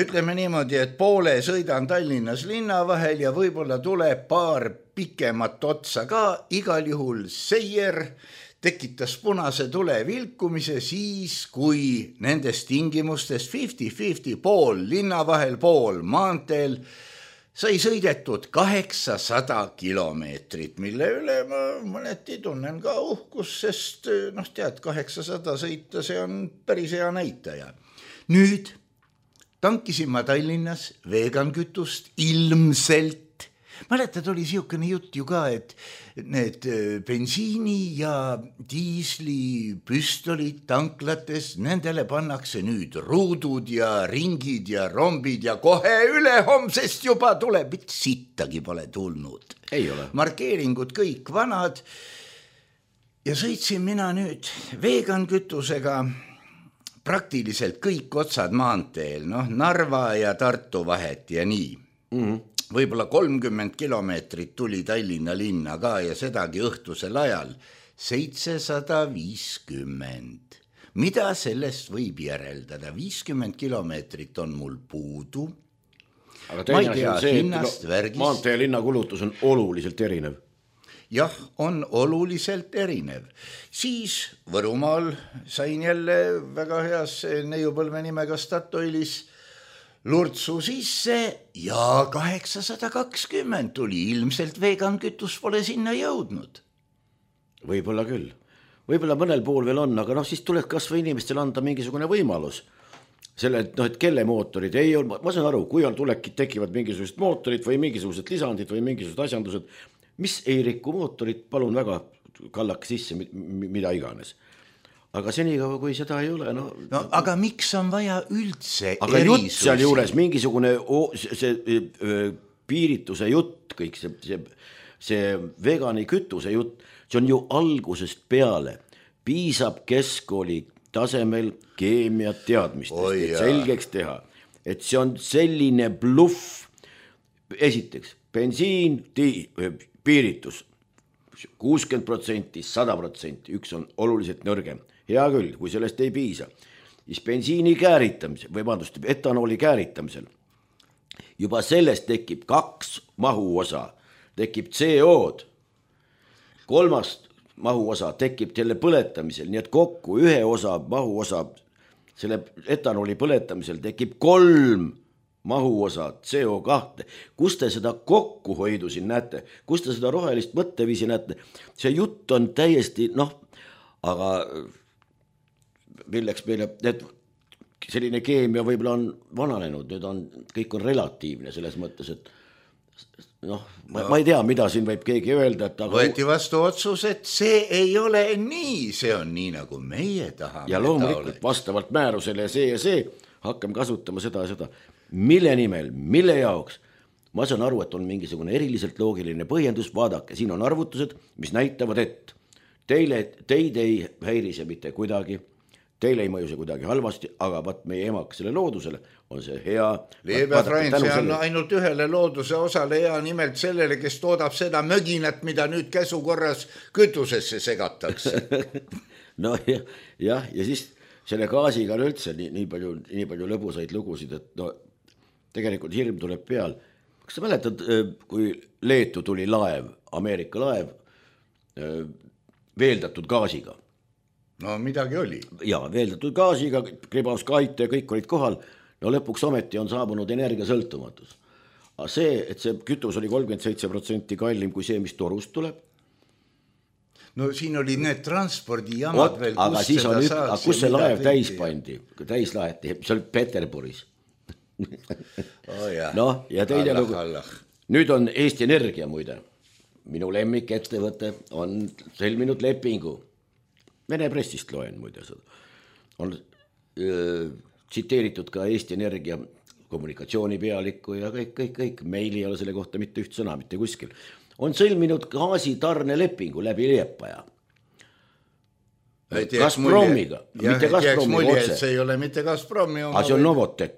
ütleme niimoodi, et poole sõidan Tallinnas linna vahel ja võib-olla tuleb paar pikemat otsa ka, igal juhul Seier tekitas punase tule vilkumise siis, kui nendes tingimustes 50-50 pool linna vahel, pool maanteel sai sõidetud 800 kilomeetrit, mille üle ma mõneti tunnen ka uhkus, sest tead, 800 sõita, see on päris hea näitaja. Nüüd tankisin ma Tallinnas veegankütust ilmselt. Mäletad, oli siukene jutt ju ka, et need bensiini ja diisli püstolid tanklates, nendele pannakse nüüd ruudud ja ringid ja rombid ja kohe ülehomsest juba tuleb, et sittagi pole tulnud. Ei ole. Markeeringud kõik vanad ja sõitsin mina nüüd veegankütusega praktiliselt kõik otsad maanteel, Narva ja Tartu vahet ja nii. Võib-olla 30 kilomeetrit tuli Tallinna linna ka ja sedagi õhtusel ajal 750. Mida sellest võib järeldada? 50 kilomeetrit on mul puudu. Aga teine asi on see, et maantee linna kulutus on oluliselt erinev. Jah, on oluliselt erinev. Siis Võrumaal sain jälle väga heas neiupõlve nimega Statoilis lurtsu sisse ja 820 tuli, ilmselt veegankütus pole sinna jõudnud. Võib-olla küll. Võib-olla mõnel pool veel on, aga siis tuleb kas või inimestel anda mingisugune võimalus. Selle, et kelle mootorid ei ole, ma saan aru, kui tekivad mingisugused mootorid või mingisugused lisandid või mingisugused asjandused, mis ei rikku mootorit, palun väga, kallake sisse, mida iganes. Aga senikaua, kui seda ei ole, aga miks on vaja üldse aga erisusi? Jutt seal juures, mingisugune piirituse jutt, kõik see vegani kütuse jutt, see on ju algusest peale. Piisab keskkooli tasemel keemia teadmistest, et selgeks teha, et see on selline bluff. Esiteks, bensiin, piiritus, 60%, 100%, üks on oluliselt nõrgem. Hea küll, kui sellest ei piisa. Siis bensiini kääritamisel, etanooli kääritamisel, juba sellest tekib 2 mahuosa, tekib CO-d, 3 mahuosa tekib selle põletamisel, nii et kokku 1 osa mahuosa selle etanooli põletamisel tekib 3 mahuosa CO2. Kus te seda kokkuhoidu siin näete? Kus te seda rohelist mõtteviisi näete? See jutt on täiesti, aga milleks meile, selline keemia võib-olla on vananenud, nüüd on, kõik on relatiivne selles mõttes, et ma ei tea, mida siin võib keegi öelda, et aga võeti vastu otsus, et see ei ole nii, see on nii, nagu meie tahame. Ja loomulikult vastavalt määrusele ja see, hakkame kasutama seda ja seda. Mille nimel, mille jaoks? Ma saan aru, et on mingisugune eriliselt loogiline põhjendus, vaadake, siin on arvutused, mis näitavad, et teid ei häirise mitte kuidagi, teile ei mõju see kuidagi halvasti, aga meie emakesele loodusele on see hea. Leebe Frans, see on ainult ühele looduse osale hea, nimelt sellele, kes toodab seda möginat, mida nüüd käsukorras kütusesse segatakse. ja siis selle gaasiga on üldse nii palju lõbusaid lugusid, et tegelikult hirm tuleb peal. Kas sa mäletad, kui Leetu tuli laev, Ameerika laev, veeldatud gaasiga? No midagi oli. Ja, veeldatud gaasiga, Gribauskaite ja kõik olid kohal. Lõpuks ometi on saabunud energiasõltumatus. Aga see, et see kütus oli 37% kallim kui see, mis torust tuleb. No siin oli need transpordijamad veel, aga siis on kus see laev täis pandi? Täis laheti, see oli Peterburis. Ja teine lugu. Nüüd on Eesti Energia muide. Minu lemmik ettevõte on sõlminud lepingu. Vene pressist loen muide seda. On tsiteeritud ka Eesti Energia kommunikatsioonipealikku ja kõik. Meil ei ole selle kohta mitte üht sõna, mitte kuskil. On sõlminud gaasitarne lepingu läbi Liepaja. Gazpromiga. Mitte Gazpromiga otse. See ei ole mitte Gazpromi. Aga see on Novotec.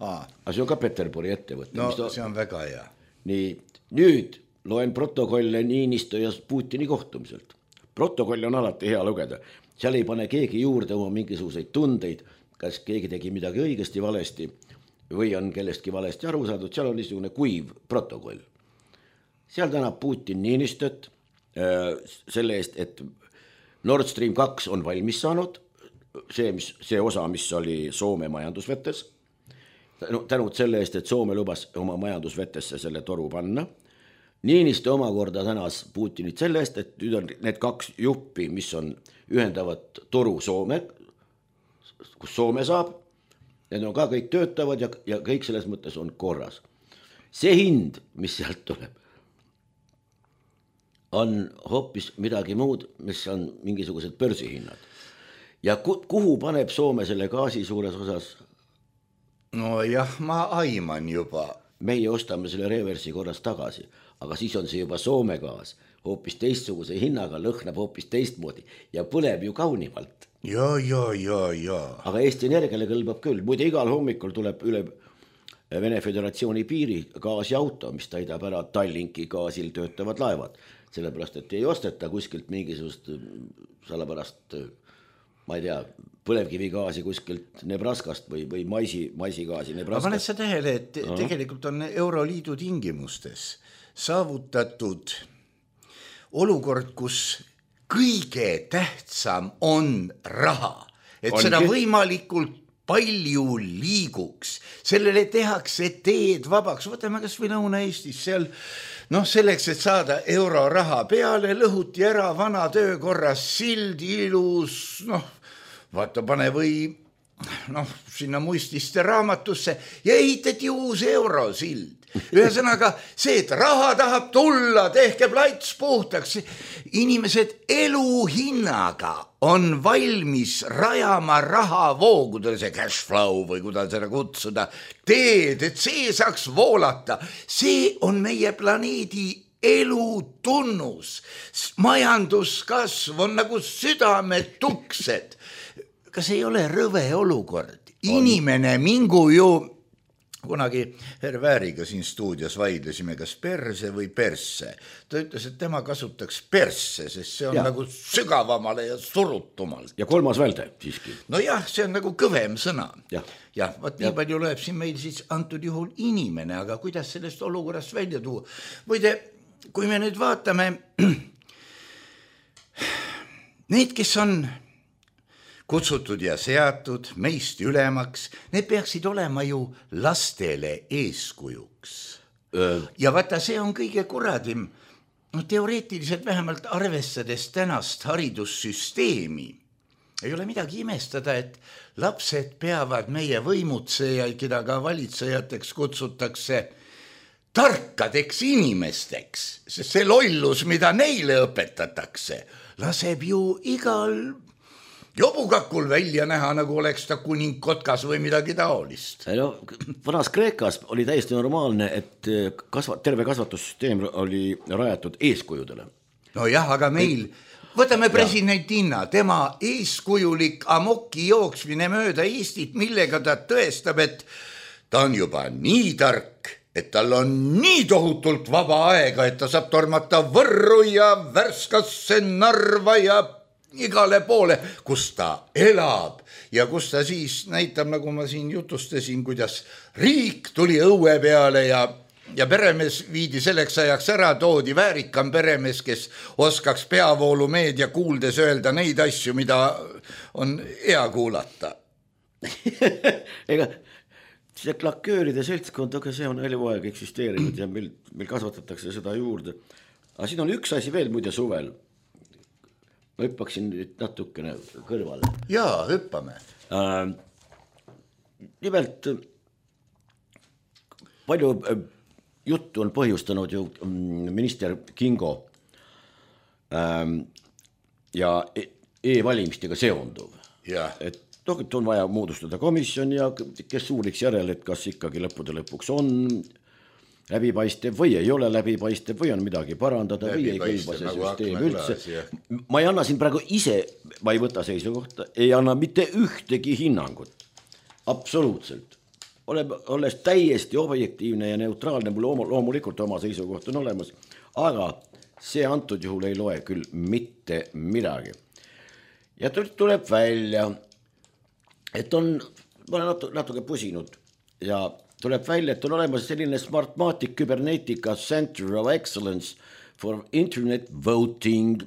Aga see on ka Peterburi ettevõte. No see on väga hea. Nii, nüüd loen protokolle Niinistö ja Putini kohtumiselt. Protokoll on alati hea lugeda. Seal ei pane keegi juurde oma mingisuguseid tundeid, kas keegi tegi midagi õigesti valesti või on kellestki valesti aru saadud. Seal on niisugune kuiv protokoll. seal tänab Putin Niinistöt selle eest, et Nord Stream 2 on valmis saanud, see osa, mis oli Soome majandusvetes, tänud selle eest, et Soome lubas oma majandusvetesse selle toru panna. Niinistö omakorda tänas Putinit selle eest, et nüüd on need 2 juppi, mis on ühendavad toru Soome, kus Soome saab, need on ka kõik töötavad ja kõik selles mõttes on korras. See hind, mis sealt tuleb, on hoopis midagi muud, mis on mingisugused börsihinnad. Ja kuhu paneb Soome selle gaasi suures osas? No jah, ma aiman juba. Meie ostame selle reversi korras tagasi, aga siis on see juba Soome gaas, hoopis teistsuguse hinnaga, lõhnab hoopis teistmoodi ja põleb ju kaunimalt. Ja. Aga Eesti Energiale kõlbab küll. Muide, igal hommikul tuleb üle Vene Föderatsiooni piiri gaasiauto, mis täidab ära Tallinki gaasil töötavad laevad. Sellepärast, et ei osteta kuskilt mingisugust salapärast, ma ei tea, põlevkivigaasi kuskilt Nebraskast või maisigaasi Nebraskast. Aga paned sa tähele, et tegelikult on Euroliidu tingimustes saavutatud olukord, kus kõige tähtsam on raha, et seda võimalikult palju liiguks, sellele tehakse teed vabaks, võtame kas või Lõuna-Eestis seal, selleks, et saada euroraha peale, lõhuti ära vana töökorras sild, ilus, vaata, pane või sinna muististe raamatusse ja ehitati uus eurosild. Ühesõnaga see, et raha tahab tulla, tehke plats puhtaks. Inimesed eluhinnaga on valmis rajama rahavoogudele, see cash flow või kuidas seda kutsuda, teed, et see saaks voolata. See on meie planeedi elu tunnus. Majanduskasv on nagu südametuksed. Kas ei ole rõve olukord? Inimene mingu ju kunagi Hervääriga siin stuudios vaidlesime, kas perse või persse. Ta ütles, et tema kasutaks persse, sest see on nagu sügavamale ja surutumalt. Ja 3. välde siiski. No jah, see on nagu kõvem sõna. Jah, vaat nii palju lööb siin meil siis antud juhul inimene, aga kuidas sellest olukorrast välja tuua? Võide, kui me nüüd vaatame, need, kes on kutsutud ja seatud meist ülemaks, need peaksid olema ju lastele eeskujuks. Ja vaata, see on kõige kuradim, teoreetiliselt vähemalt arvestades tänast haridussüsteemi. Ei ole midagi imestada, et lapsed peavad meie võimutsejaid, keda ka valitsejateks kutsutakse, tarkadeks inimesteks, sest see lollus, mida neile õpetatakse, laseb ju igal jobukakul välja näha, nagu oleks ta kuning kotkas või midagi taolist. Vanas Kreekas oli täiesti normaalne, et terve kasvatussüsteem oli rajatud eeskujudele. No jah, aga meil, võtame president Inna, tema eeskujulik amoki jooksmine mööda Eestit, millega ta tõestab, et ta on juba nii tark, et tal on nii tohutult vaba aega, et ta saab tormata Võrru ja Värskasse, Narva ja igale poole, kus ta elab ja kus ta siis näitab, nagu ma siin jutustasin, kuidas riik tuli õue peale ja peremees viidi selleks ajaks ära, toodi väärikam peremees, kes oskaks peavoolumeedia kuuldes öelda neid asju, mida on hea kuulata. Ega see klakööride seltskond, aga see on eluaeg eksisteerinud ja meil kasvatatakse seda juurde. Aga siin on üks asi veel muide suvel. Ma hüppaksin nüüd natukene kõrvale. Jaa, hüppame. Nimelt, palju juttu on põhjustanud ju minister Kingo ja e-valimistega seonduv. Et on vaja moodustada komisjon ja kes uuriks järele, et kas ikkagi lõppude lõpuks on läbipaistev või ei ole läbipaistev või on midagi parandada või ei kõlba see süsteem üldse. Ma ei anna siin praegu ise, ma ei võta seisukohta, ei anna mitte ühtegi hinnangut. Absoluutselt. Olles täiesti objektiivne ja neutraalne, mul loomulikult oma seisukoht on olemas, aga see antud juhul ei loe küll mitte midagi. Ja tuleb välja, et ma olen natuke pusinud ja tuleb välja, et on olemas selline Smartmatic Cybernetica Center of Excellence for Internet Voting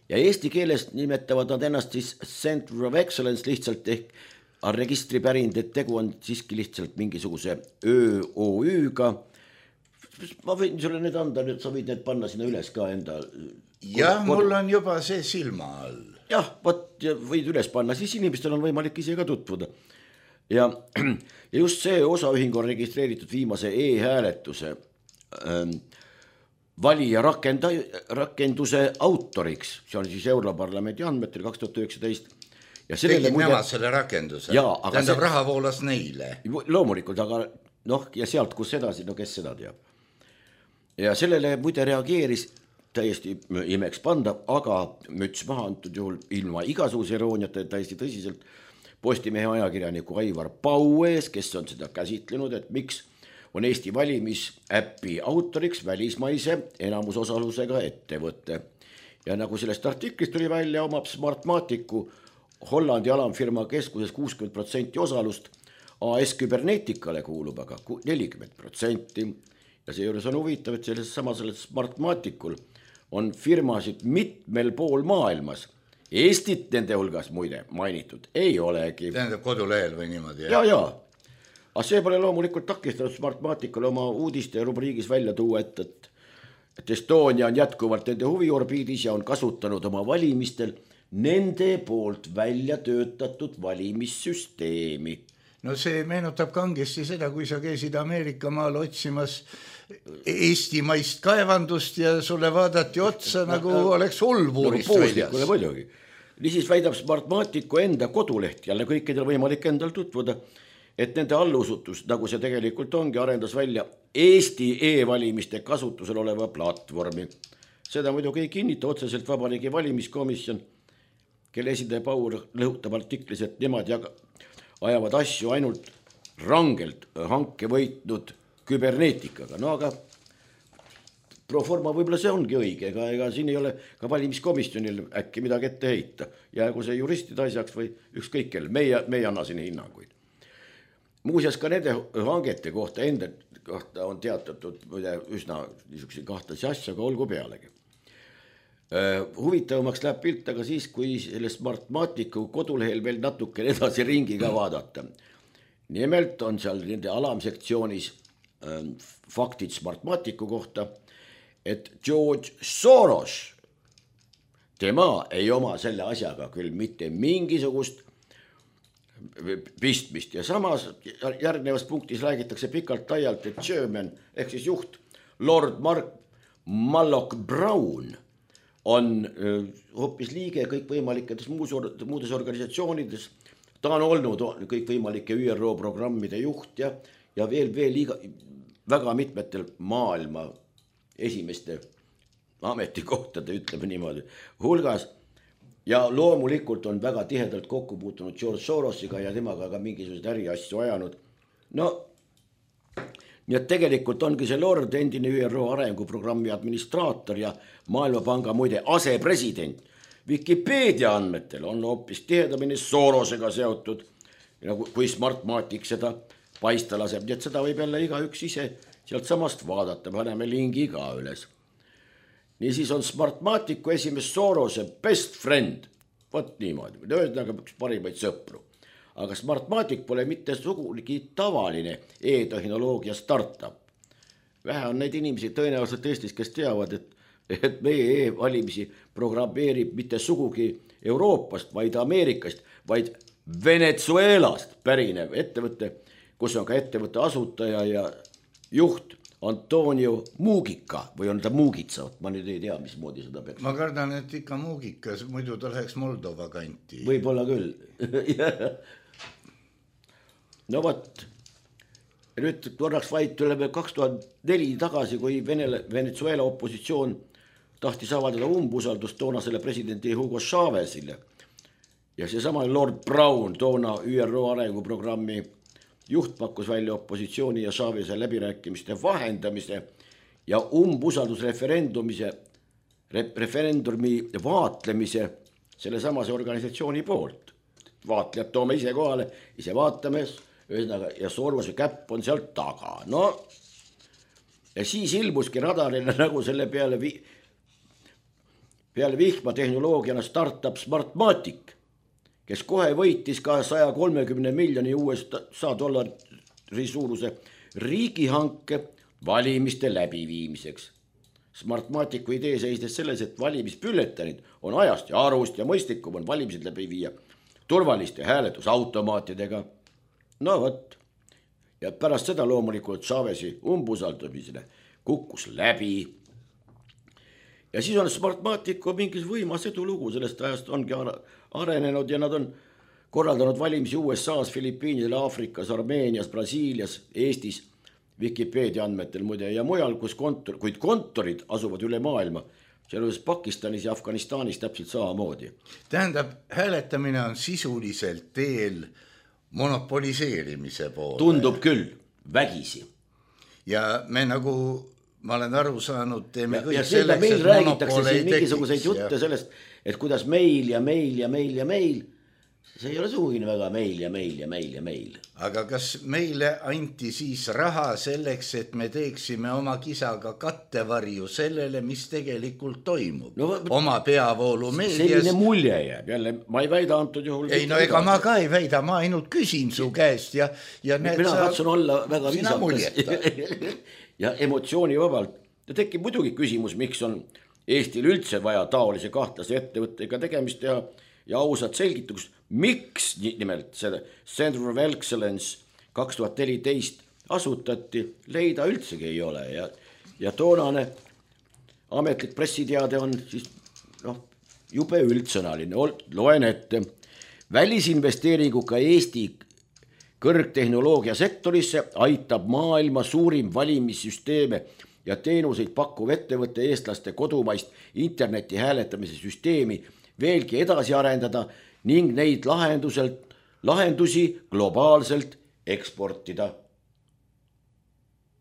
ja eesti keeles nimetavad nad ennast siis Center of Excellence lihtsalt ehk registripärind, et tegu on siiski lihtsalt mingisuguse ÖOÜ-ga. Ma võin sulle need anda, nüüd sa võid need panna sinna üles ka enda. Jah, mul on juba see silma all. Jah, võid üles panna, siis inimestel on võimalik ise ka tutvuda. Ja just see osaühing on registreeritud viimase e-hääletuse valija rakenduse autoriks, see on siis Europarlamendi andmetel 2019. Ja tegid nemad selle rakenduse, tähendab raha voolas neile. Loomulikult, aga ja sealt kus edasi, kes seda teab. Ja sellele muide reageeris täiesti imeks panda, aga müts maha antud juhul ilma igasuguse irooniata täiesti tõsiselt Postimehe ajakirjaniku Aivar Paues, kes on seda käsitlenud, et miks on Eesti valimisäppi autoriks välismaise enamusosalusega ettevõtte. Ja nagu sellest artiklist tuli välja, omab Smartmaticu Hollandi alamfirma keskuses 60% osalust, AS Cyberneticale kuulub aga 40%. Ja seejuures on huvitav, et sellel Smartmaticul on firmasid mitmel pool maailmas. Eestit nende hulgas muide mainitud ei olegi. Tähendab kodulehel või niimoodi? Ja. Aga see pole loomulikult takistanud Smartmaticule oma uudiste rubriigis välja tuua, et Estonia on jätkuvalt nende huviorbiidis ja on kasutanud oma valimistel nende poolt välja töötatud valimissüsteemi. No see meenutab kangesti seda, kui sa käisid Ameerika maal otsimas eestimaist kaevandust ja sulle vaadati otsa nagu oleks ulbuurist väljas. Muidugi. Niisiis väidab Smartmaticu enda koduleht, jälle kõikidel võimalik endal tutvuda, et nende allusutus, nagu see tegelikult ongi, arendas välja Eesti e-valimiste kasutusel oleva platvormi. Seda muidugi ei kinnita otseselt Vabariigi valimiskomisjon, kelle esindaja Paul lõhutab artiklis, et nemad ajavad asju ainult rangelt hanke võitnud Cyberneticaga. No aga proforma võib-olla see ongi õige, ega siin ei ole ka valimiskomisjonil äkki midagi ette heita. Jäägu see juristide asjaks või ükskõik kell, meie anna siin hinnanguid. Muuseas ka nende hangete kohta enda kohta on teatatud üsna niisuguse kahtlasi asja, aga olgu pealegi. Huvitavamaks läheb pilt aga siis, kui selle Smartmaticu kodulehel veel natuke edasi ringi ka vaadata. Nimelt on seal nende alamsektsioonis faktid Smartmaticu kohta, et George Soros, tema ei oma selle asjaga küll mitte mingisugust pistmist ja samas järgnevas punktis räägitakse pikalt laialt, et chairman ehk siis juht Lord Mark Malloch Brown on hoopis liige kõikvõimaliketes muudes organisatsioonides. Ta on olnud kõikvõimalike ÜRO programmide juht ja veel väga mitmetel maailma esimeste ametikohtade, ütleme niimoodi, hulgas. Ja loomulikult on väga tihedalt kokku puutunud George Sorosiga ja temaga ka mingisugused äriasju ajanud. No, nii et tegelikult ongi see Lord endine ÜRO arenguprogrammi administraator ja Maailmapanga muide asepresident. Wikipedia andmetel on hoopis tihedamini Sorosega seotud, kui Smartmatic seda paista laseb. Nii et seda võib jälle igaüks ise sealt samast vaadata, paneme lingi ka üles. Niisiis on Smartmaticu esimees Sorose best friend, võt niimoodi, ühesõnaga üks parimaid sõpru. Aga Smartmatic pole mitte sugugi tavaline e-tehnoloogia startup. Vähe on neid inimesi tõenäoliselt Eestis, kes teavad, et meie e-valimisi programmeerib mitte sugugi Euroopast, vaid Ameerikast, vaid Venezuelast pärinev ettevõte, kus on ka ettevõtte asutaja ja juht Antonio Mugica või on ta Mugica, ma nüüd ei tea, mismoodi seda peaks. Ma kardan, et ikka Mugica, muidu ta läheks Moldova kanti. Võib-olla küll. No võt, nüüd korraks vaid tuleme 2004 tagasi, kui Venezuela opositsioon tahtis avaldada umbusaldust toonasele presidendi Hugo Chávezile. Ja seesama Lord Brown, toona ÜRO arenguprogrammi juht pakkus välja opositsiooni ja Chávez'e läbirääkimiste vahendamise ja umbusaldusreferendumi vaatlemise selle samase organisatsiooni poolt. Vaatlejad toome ise kohale, ise vaatame, ühesõnaga, ja Soorvase käpp on sealt taga, no ja siis ilmuski radarile nagu selle peale vihmatehnoloogiana startup Smartmatic, kes kohe võitis ka 130 miljoni USA dollari suuruse riigihanke valimiste läbiviimiseks. Smartmaticu idee seisnes selles, et valimispülletanid on ajast ja arvust ja mõistlikum on valimised läbi viia turvaliste hääletusautomaatidega. No võt. Ja pärast seda loomulikult Chavez'i umbusaldamisele kukkus läbi. Ja siis on Smartmaticu mingis võimas edulugu, sellest ajast ongi arenenud ja nad on korraldanud valimisi USA's, Filipiinidel, Aafrikas, Armeenias, Brasiilias, Eestis, Wikipedia andmetel muide ja mujal, kuid kontorid asuvad üle maailma, sealjuures Pakistanis ja Afganistanis täpselt samamoodi. Tähendab, hääletamine on sisuliselt teel monopoliseerimise poole. Tundub küll, vägisi. Ja me nagu, ma olen aru saanud, teeme kõik ja selleks, meil et räägitakse monopole siin mingisuguseid jutte sellest, et kuidas meil ja meil ja meil ja meil, see ei ole sugugi väga meil ja meil ja meil ja meil. Aga kas meile anti siis raha selleks, et me teeksime oma kisaga kattevarju sellele, mis tegelikult toimub? No, oma peavoolu meedias. Selline mulje jääb, jälle ma ei väida antud juhul. Ei, no ega ma ka ei väida, ma ainult küsin su käest ja mina katsun olla väga viisakas ja emotsioonivabalt. Ja tekib muidugi küsimus, miks on Eestil üldse vaja taolise kahtlase ettevõttega tegemist teha ja ausad selgitus, miks nimelt selle Center of Excellence 2014 asutati, leida üldsegi ei ole ja toonane ametlik pressiteade on siis jube üldsõnaline, loen ette. Välisinvesteeringuga Eesti kõrgtehnoloogia sektorisse aitab maailma suurim valimissüsteeme ja teenuseid pakkuv ettevõtte eestlaste kodumaist interneti hääletamise süsteemi veelgi edasi arendada ning neid lahendusi globaalselt eksportida.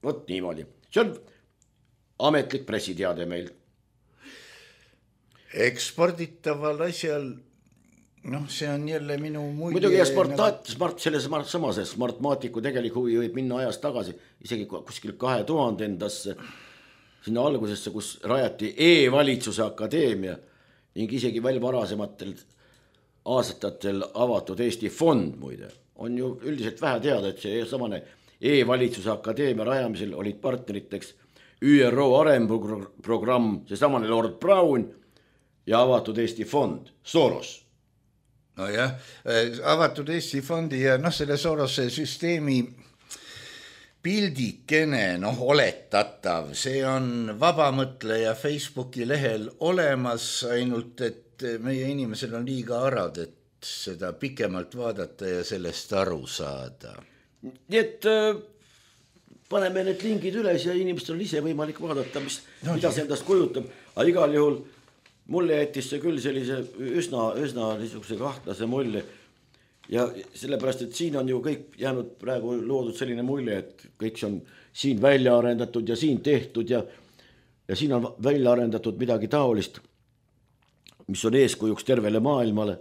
Vot niimoodi. See on ametlik pressiteade meil. Eksporditaval asjal, see on jälle minu mulje. Muidugi ja selles samases Smartmaticu tegelik huvi võib minna ajas tagasi, isegi kuskil 2000-ndasse, sinna algusesse, kus rajati e-valitsuse akadeemia ning isegi veel varasematel aastatel avatud Eesti fond muide. On ju üldiselt vähe teada, et see samane e-valitsuse akadeemia rajamisel olid partneriteks ÜRO arenguprogramm, see samane Lord Brown ja avatud Eesti fond, Soros. No jah, avatud Eesti fondi ja selle Sorose süsteemi pildikene, oletatav, see on vabamõtleja Facebooki lehel olemas, ainult et meie inimesel on liiga arad, et seda pikemalt vaadata ja sellest aru saada. Nii et paneme need lingid üles ja inimestel on ise võimalik vaadata, mida see endast kujutab. Aga igal juhul mulle jättis see küll sellise üsna niisuguse kahtlase mulje. Ja sellepärast, et siin on ju kõik jäänud praegu loodud selline mulje, et kõik see on siin välja arendatud ja siin tehtud ja siin on välja arendatud midagi taolist, mis on eeskujuks tervele maailmale.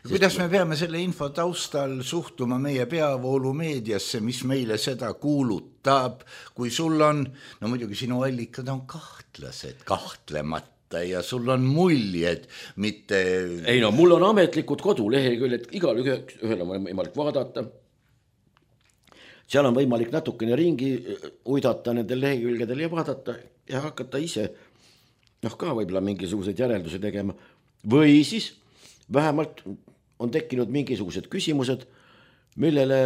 Kuidas me peame selle info taustal suhtuma meie peavoolu meediasse, mis meile seda kuulutab, kui sul on, muidugi sinu allikad on kahtlased, kahtlemata, ja sul on muljed, mitte... Ei mul on ametlikud koduleheküljed, igal ühel on võimalik vaadata. Seal on võimalik natukene ringi uidata nendel lehekülgedel ja vaadata ja hakata ise ka võib-olla mingisuguseid järeldusi tegema. Või siis vähemalt on tekkinud mingisugused küsimused, millele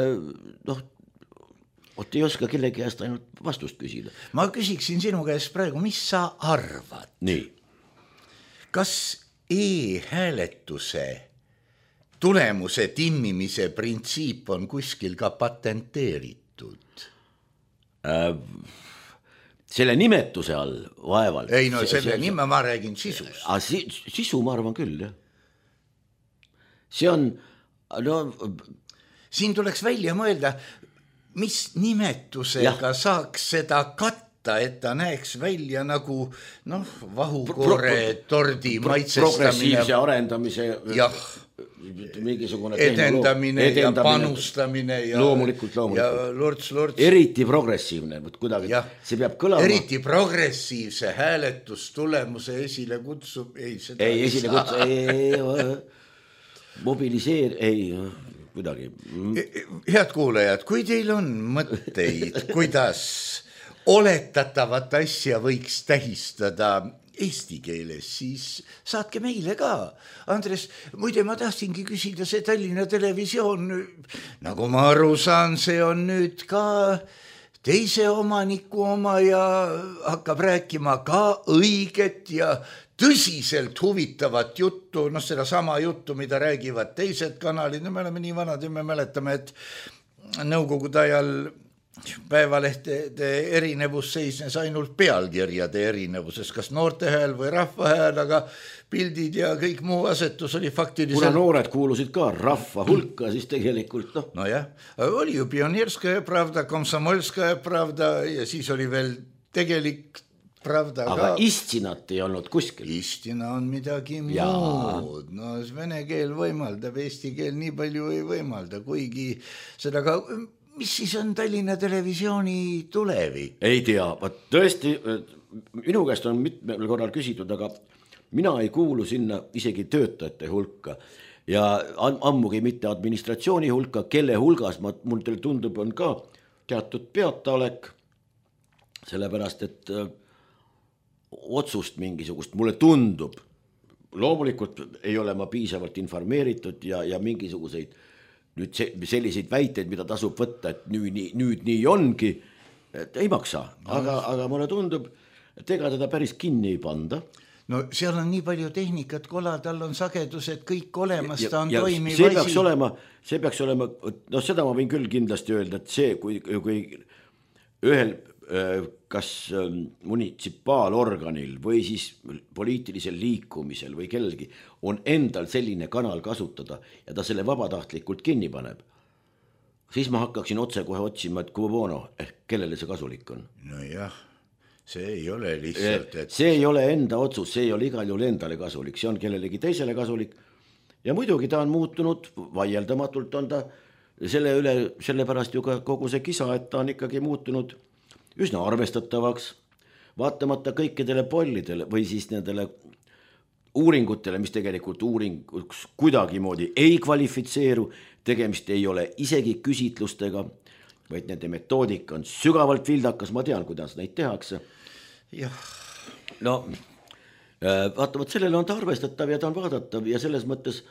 ei oska kellegi käest ainult vastust küsida. Ma küsiksin sinu käest praegu, mis sa arvad? Nii. Kas e-hääletuse tulemuse timmimise printsiip on kuskil ka patenteeritud? Selle nimetuse all vaevalt. Ei, selle nime ma räägin sisus. Sisu ma arvan küll, jah. See on... Siin tuleks välja mõelda, mis nimetusega saaks seda katta tahta, et ta näeks välja nagu vahukoore tordi maitsestamine. Progressiivse arendamise mingisugune edendamine ja panustamine ja loomulikult. Ja lorts. Eriti progressiivne, kuidagi see peab kõlama. Eriti progressiivse hääletustulemuse esile kutsub. Kuidagi. Head kuulajad, kui teil on mõtteid, kuidas oletatavat asja võiks tähistada eesti keeles, siis saatke meile ka. Andres, muide ma tahtsingi küsida, see Tallinna Televisioon, nagu ma aru saan, see on nüüd ka teise omaniku oma ja hakkab rääkima ka õiget ja tõsiselt huvitavat juttu, seda sama juttu, mida räägivad teised kanalid. Me oleme nii vanad ja me mäletame, et nõukogude ajal päevalehtede erinevus seisnes ainult pealkirjade erinevuses, kas noorte hääl või rahva hääl, aga pildid ja kõik muu asetus oli faktiliselt. Kuna noored kuulusid ka rahva hulka, siis tegelikult oli ju Pionierskaja Pravda, Komsomolskaja Pravda ja siis oli veel tegelik Pravda aga istinat ei olnud kuskil. Istina on midagi muud. Vene keel võimaldab, eesti keel nii palju ei võimalda, kuigi seda ka. Mis siis on Tallinna Televisiooni tulevik? Ei tea, tõesti, minu käest on mitmel korral küsitud, aga mina ei kuulu sinna isegi töötajate hulka ja ammugi mitte administratsiooni hulka, kelle hulgas mul teil tundub on ka teatud peataolek, sellepärast, et otsust mingisugust, mulle tundub, loomulikult ei ole ma piisavalt informeeritud ja mingisuguseid nüüd selliseid väiteid, mida tasub võtta, et nüüd nii ongi, et ei maksa, aga mulle tundub, et ega teda päris kinni ei panda. No seal on nii palju tehnikat, kola, tal on sagedused kõik olemas, ta on toimiv see peaks olema, seda ma võin küll kindlasti öelda, et see, kui ühel kas munitsipaalorganil või siis poliitilisel liikumisel või kellelgi on endal selline kanal kasutada ja ta selle vabatahtlikult kinni paneb, siis ma hakkaksin otse kohe otsima, et kellele see kasulik on. Nojah, see ei ole lihtsalt, et see ei ole enda otsus, see ei ole igal juhul endale kasulik, see on kellelegi teisele kasulik ja muidugi ta on muutunud, vaieldamatult on ta selle pärast ju ka kogu see kisa, et ta on ikkagi muutunud üsna arvestatavaks, vaatamata kõikidele pollidele või siis nendele uuringutele, mis tegelikult uuringuks kuidagi moodi ei kvalifitseeru, tegemist ei ole isegi küsitlustega, vaid nende metoodika on sügavalt vildakas, ma tean, kuidas neid tehakse. Vaatamata sellele on ta arvestatav ja ta on vaadatav ja selles mõttes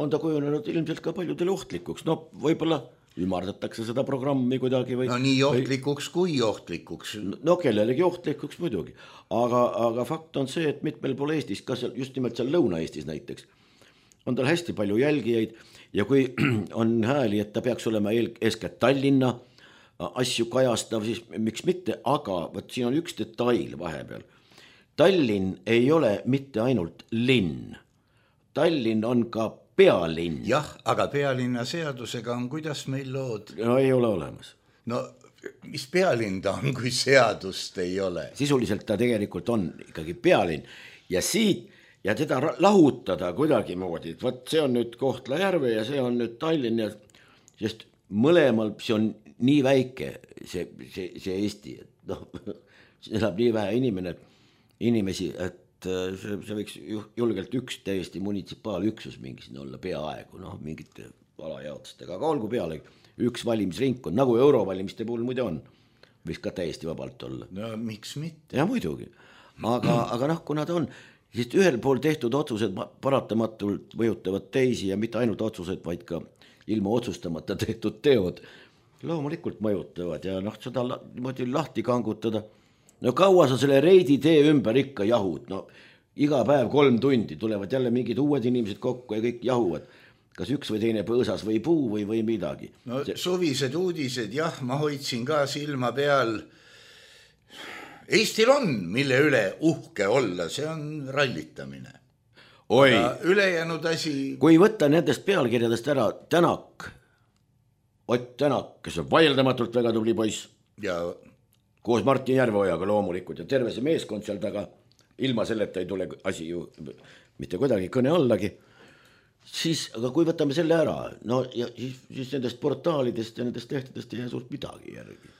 on ta kujunenud ilmselt ka paljudele ohtlikuks, võib-olla ümardatakse seda programmi kuidagi või nii ohtlikuks kui ohtlikuks. Kellelegi ohtlikuks muidugi, aga fakt on see, et mitmel pool Eestis, kas just nimelt seal Lõuna-Eestis näiteks, on tal hästi palju jälgijaid ja kui on hääli, et ta peaks olema eeskätt Tallinna asju kajastav, siis miks mitte, aga siin on üks detail vahepeal. Tallinn ei ole mitte ainult linn, Tallinn on ka pealinn. Jah, aga pealinna seadusega on kuidas meil lood? Ei ole olemas. Mis pealinn ta on, kui seadust ei ole? Sisuliselt ta tegelikult on ikkagi pealinn ja siit ja teda lahutada kuidagi moodi, et see on nüüd Kohtla-Järve ja see on nüüd Tallinn ja sest mõlemal see on nii väike see Eesti, et elab nii vähe inimesi, et see võiks julgelt üks täiesti munitsipaalüksus mingi siin olla peaaegu, mingite alajaotustega, aga olgu peale üks valimisringkond, nagu eurovalimiste puhul muide on, võiks ka täiesti vabalt olla. Miks mitte? Ja muidugi, aga kuna ta on, siis ühel pool tehtud otsused paratamatult mõjutavad teisi ja mitte ainult otsused, vaid ka ilma otsustamata tehtud teod loomulikult mõjutavad ja seda lahti kangutada. Kaua sa selle reidi tee ümber ikka jahud, iga päev 3 tundi tulevad jälle mingid uued inimesed kokku ja kõik jahuvad, kas üks või teine põõsas või puu või midagi. Suvised uudised, jah, ma hoidsin ka silma peal. Eestil on, mille üle uhke olla, see on rallitamine. Ülejäänud asi. Kui võtta nendest pealkirjadest ära Tänak, Ott Tänak, kes on vaieldamatult väga tubli poiss. Ja koos Martin Järveojaga loomulikult ja terve see meeskond seal taga, ilma selleta ei tule asi ju mitte kuidagi kõne allagi. Siis, aga kui võtame selle ära, no ja siis nendest portaalidest ja nendest lehtedest ei jää suurt midagi järgi.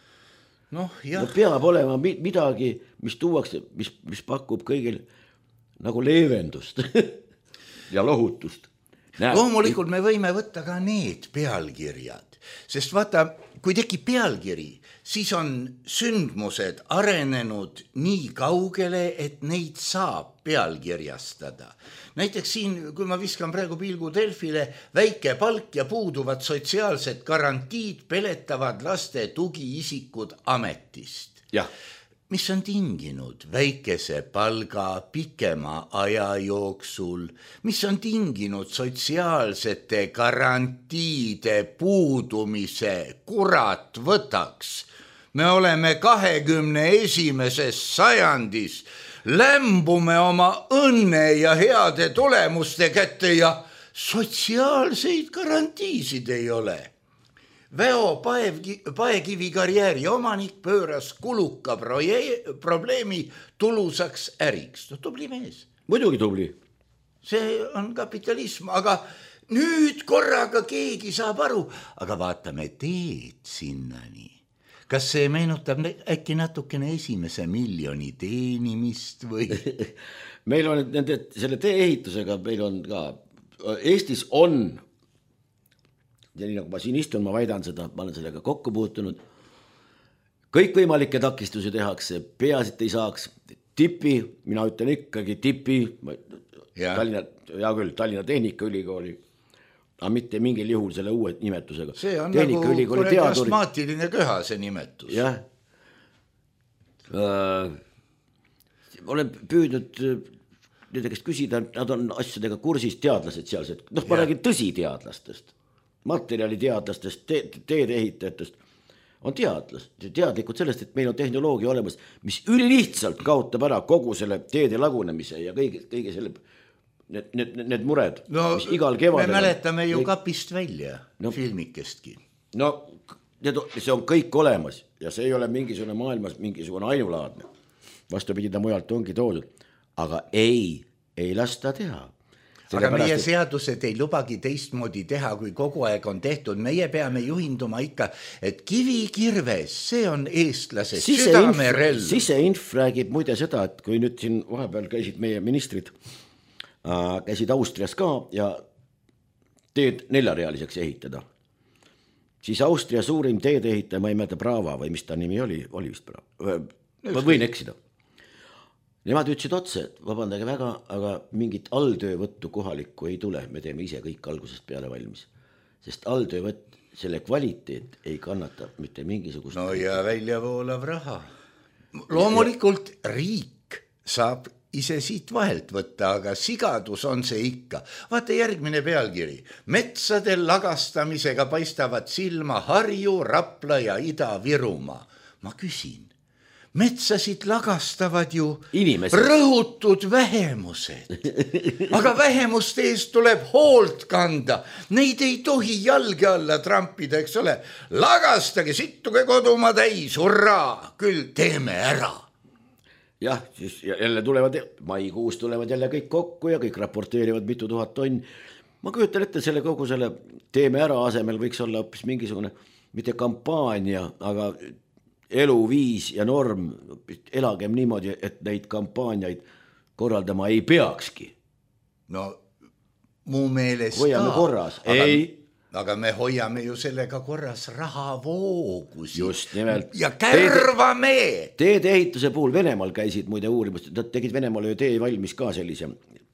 No peab olema midagi, mis tuuakse, mis pakub kõigil nagu leevendust ja lohutust. Loomulikult me võime võtta ka need pealkirjad, sest vaata, kui tekib pealkiri, siis on sündmused arenenud nii kaugele, et neid saab pealkirjastada. Näiteks siin, kui ma viskan praegu pilgu Delfile, väike palk ja puuduvad sotsiaalsed garantiid peletavad laste tugiisikud ametist. Jah. Mis on tinginud väikese palga pikema aja jooksul, mis on tinginud sotsiaalsete garantiide puudumise, kurat võtaks. Me oleme 21. sajandis, lämbume oma õnne ja heade tulemuste kätte ja sotsiaalseid garantiisid ei ole. Väo Paekivi karjääri omanik pööras kuluka probleemi tulusaks äriks. No tubli mees. Muidugi tubli. See on kapitalism, aga nüüd korraga keegi saab aru, aga vaatame teed sinnani. Kas see meenutab äkki natukene 1 miljoni teenimist või? Meil on selle tee ehitusega, meil on ka, Eestis on, ja nii nagu ma siin istun, ma väidan seda, ma olen sellega kokku puutunud, kõikvõimalikke takistusi tehakse, peasid ei saaks, tipi, mina ütlen ikkagi tipi, Tallinna Tehnikaülikooli, aga mitte mingil juhul selle uue nimetusega. See on nagu astmaatiline köha see nimetus. Jah. Olen püüdnud nende käest küsida, nad on asjadega kursis, teadlased sealsed. Ma räägin tõsiteadlastest, materjaliteadlastest, teedeehitajatest. On teadlikud sellest, et meil on tehnoloogia olemas, mis ülilihtsalt kaotab ära kogu selle teede lagunemise ja kõige selle need mured, mis igal kevadel... Me mäletame ju kapist välja filmikestki. No, see on kõik olemas ja see ei ole mingisugune maailmas mingisugune ainulaadne. Vastupidi, ta mujalt ongi toodud. Aga ei lasta teha. Aga meie seadused ei lubagi teistmoodi teha, kui kogu aeg on tehtud. Meie peame juhinduma ikka, et kivikirves, see on eestlase südamerell. Siseinf räägib muide seda, et kui nüüd siin vahepeal käisid meie ministrid, käisid Austrias ka ja teed 4-realiseks ehitada. Siis Austria suurim teed ehitaja, ma ei mäleta Brava või mis ta nimi oli vist Brava. Ma võin eksida. Nemad ütlesid otse, et vabandage väga, aga mingit alltöövõttu kohalikku ei tule. Me teeme ise kõik algusest peale valmis. Sest alltöövõtt, selle kvaliteet ei kannata mitte mingisugust... No ja väljavoolav raha. Loomulikult riik saab ise siit vahelt võtta, aga sigadus on see ikka. Vaata järgmine pealkiri. Metsade lagastamisega paistavad silma Harju, Rapla ja Ida-Virumaa. Ma küsin, metsasid lagastavad ju inimesed. Rõhutud vähemused. Aga vähemuste eest tuleb hoolt kanda. Neid ei tohi jalge alla trampida, eks ole. Lagastage, sittuge kodumaa täis, hurraa, küll teeme ära. Jah, siis jälle maikuus tulevad jälle kõik kokku ja kõik raporteerivad mitu tuhat tonn. Ma kujutan ette selle kogu selle teeme ära asemel võiks olla hoopis mingisugune, mitte kampaania, aga eluviis ja norm, elagem niimoodi, et neid kampaaniaid korraldama ei peakski. No, mu meelest hoiame korras. Aga me hoiame ju sellega korras rahavoogusi. Just nimelt. Ja kärvame! Teede ehituse puhul Venemaal käisid muide uurimust. Nad tegid Venemaal ju tee valmis ka sellise,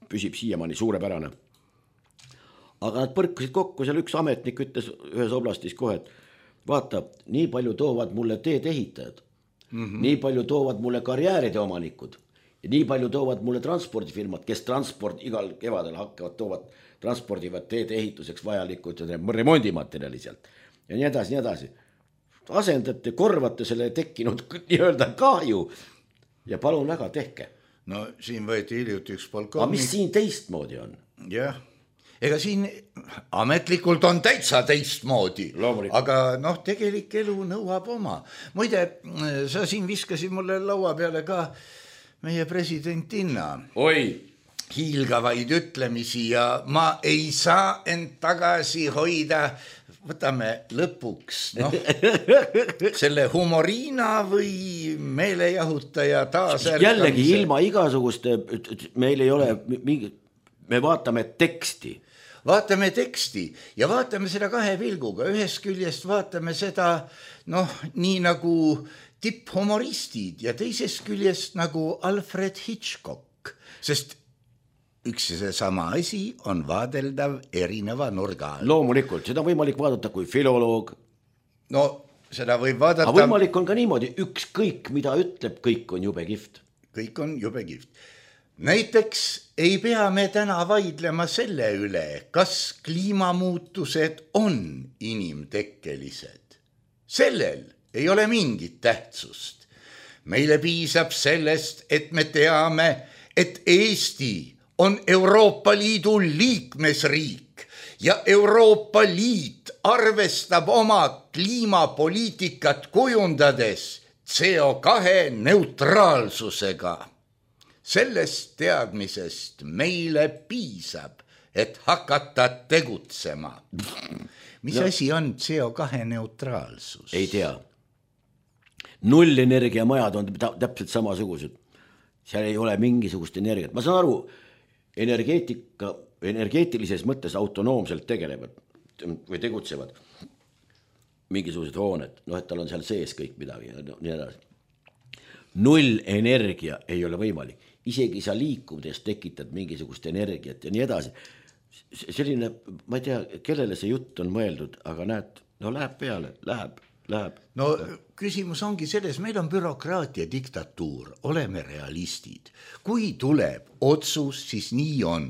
püsib siiamaani suurepärane. Aga nad põrkusid kokku, seal üks ametnik ütles ühes oblastis kohe, et vaata, nii palju toovad mulle teed ehitajad, nii palju toovad mulle karjääride omanikud ja nii palju toovad mulle transpordifirmad, kes igal kevadel hakkavad transpordivad teede ehituseks vajalikud remondimaterjali sealt ja nii edasi. Asendate, korvate selle tekkinud nii-öelda kahju ja palun väga tehke. No siin võeti hiljuti üks polkovnik. Aga mis siin teistmoodi on? Jah. ega siin ametlikult on täitsa teistmoodi, aga noh, tegelik elu nõuab oma. Muide, sa siin viskasid mulle laua peale ka meie presidentinna hiilgavaid ütlemisi ja ma ei saa end tagasi hoida. Võtame lõpuks selle humoriina või meelejahutaja taasärkamisel. Jällegi ilma igasuguste, meil ei ole me vaatame teksti. Vaatame teksti ja vaatame seda kahe pilguga. Ühest küljest vaatame seda nii nagu tipphumoristid ja teisest küljest nagu Alfred Hitchcock, sest üks ja seesama asi on vaadeldav erineva nurga. Loomulikult, seda on võimalik vaadata kui filoloog. No, seda võib vaadata. Aga võimalik on ka niimoodi, ükskõik mida ütleb, kõik on jube kihvt. Kõik on jube kihvt. Näiteks ei pea me täna vaidlema selle üle, kas kliimamuutused on inimtekkelised. Sellel ei ole mingit tähtsust. Meile piisab sellest, et me teame, et Eesti on Euroopa Liidu liikmesriik ja Euroopa Liit arvestab oma kliimapoliitikat kujundades CO2 neutraalsusega. Sellest teadmisest meile piisab, et hakata tegutsema. Mis asi on CO2 neutraalsus? Ei tea. Nullenergiamajad on täpselt samasugused. Seal ei ole mingisugust energiat. Ma saan aru, energeetilises mõttes autonoomselt tegelevad või tegutsevad mingisugused hooned, et tal on seal sees kõik midagi ja nii edasi. Null energia ei ole võimalik, isegi sa liikudes tekitad mingisugust energiat ja nii edasi. Selline, ma ei tea, kellele see jutt on mõeldud, aga näed, läheb peale, läheb. No küsimus ongi selles, meil on bürokraatia diktatuur, oleme realistid. Kui tuleb otsus, siis nii on.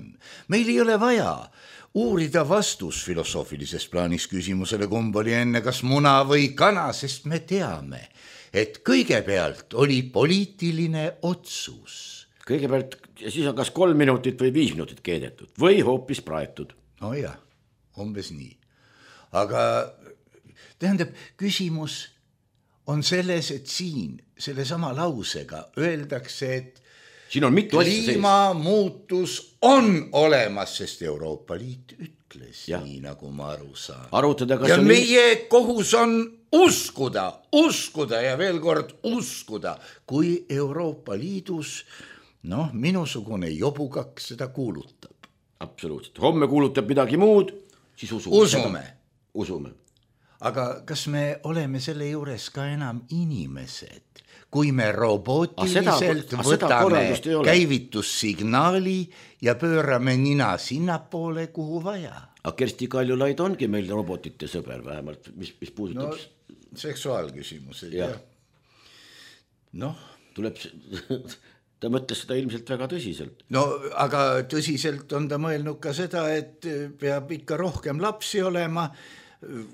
Meil ei ole vaja uurida vastus filosoofilises plaanis küsimusele, kumb oli enne, kas muna või kana, sest me teame, et kõigepealt oli poliitiline otsus. Kõigepealt, ja siis on kas 3 minutit või 5 minutit keedetud või hoopis praetud. No jah, umbes nii. Aga tähendab, küsimus on selles, et siin selle sama lausega öeldakse, et siin on mitu kliimamuutus on olemas, sest Euroopa Liit ütles nii, nagu ma aru saan. Ja meie kohus on uskuda ja veel kord uskuda, kui Euroopa Liidus, minusugune jobukaks seda kuulutab. Absoluutselt. Homme kuulutab midagi muud, siis usume. Aga kas me oleme selle juures ka enam inimesed, kui me robootiliselt võtame käivitussignaali ja pöörame nina sinnapoole, kuhu vaja? Aga Kersti Kaljulaid ongi meil robotite sõber vähemalt, mis puudutab... seksuaalküsimused, jah. Tuleb... Ta mõtles seda ilmselt väga tõsiselt. Aga tõsiselt on ta mõelnud ka seda, et peab ikka rohkem lapsi olema.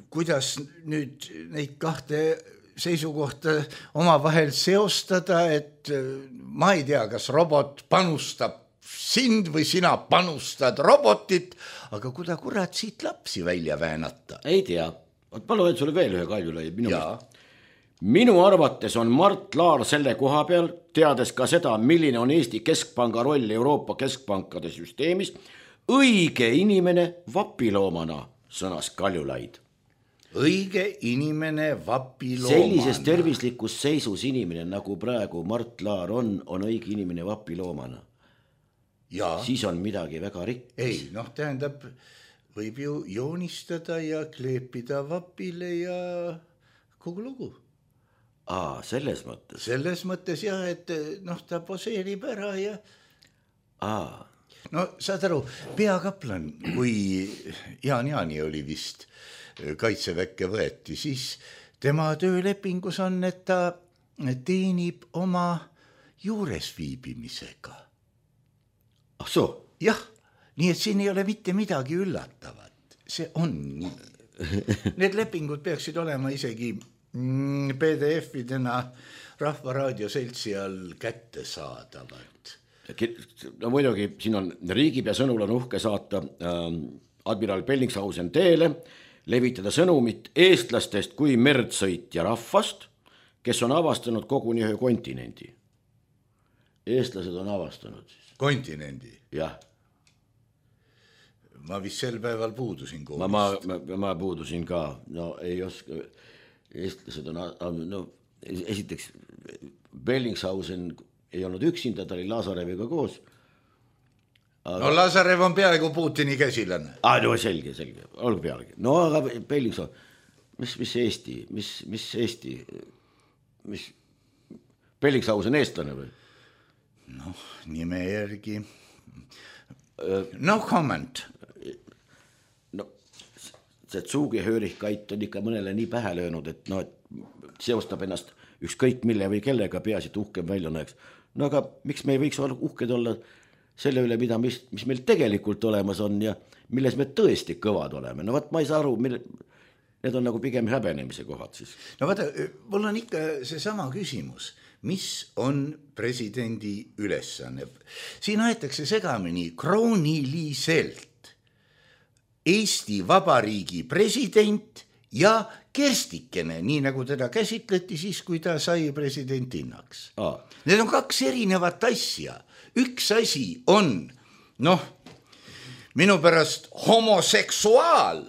Kuidas nüüd neid kahte seisukohta omavahel seostada, et ma ei tea, kas robot panustab sind või sina panustad robotit, aga kurat siit lapsi välja väänata? Ei tea. Ma loen sulle veel ühe Kaljulai. Minu arvates on Mart Laar selle koha peal, teades ka seda, milline on Eesti Keskpanga roll Euroopa Keskpankade süsteemis, õige inimene vapiloomana, sõnas Kaljulaid. Õige inimene vapiloomana. Sellises tervislikus seisus inimene, nagu praegu Mart Laar on õige inimene vapiloomana. Siis on midagi väga rikks. Ei, tähendab, võib ju joonistada ja kleepida vapile ja kogu lugu. Selles mõttes? Selles mõttes jah, et ta poseerib ära ja... saad aru, peakaplan, kui Jaan Jaani oli vist kaitseväkke võeti, siis tema töölepingus on, et ta teenib oma juures viibimisega. Jah, nii et siin ei ole mitte midagi üllatavat. See on nii. Need lepingud peaksid olema isegi PDF-idena Rahvaraadio seltsi all kätte saadavad. Muidugi, siin on riigipea sõnul on uhke saata admiral Bellingshausen teele, levitada sõnumit eestlastest kui merdsõitja rahvast, kes on avastanud koguni ühe kontinendi. Eestlased on avastanud siis. Kontinendi? Jah. Ma vist sel päeval puudusin koolist. Ma puudusin ka, no ei oska, eestlased on, no esiteks Bellingshausen ei olnud üksinda, ta oli Lazareviga koos. Aga... No Lazarev on peaaegu Putini käsilane. No selge, olgu pealegi. No aga Bellingshausen, mis Eesti, mis Eesti, mis Bellingshausen eestlane või? Noh, nime järgi. No comment. No, see Tsugi-Hörich-Kait on ikka mõnele nii pähe löönud, et no, seostab ennast ükskõik mille või kellega peaasi, et uhkem välja näeks. No aga miks me ei võiks uhked olla selle üle, mis meil tegelikult olemas on ja milles me tõesti kõvad oleme. No vaat ma ei saa aru, need on nagu pigem häbenemise kohad siis. No vaata, mul on ikka see sama küsimus. Mis on presidendi ülesanne? Siin aetakse segamini krooniliselt Eesti Vabariigi president ja Kerstikene, nii nagu teda käsitleti siis, kui ta sai presidentinnaks. Need on kaks erinevat asja. Üks asi on, minu pärast homoseksuaal,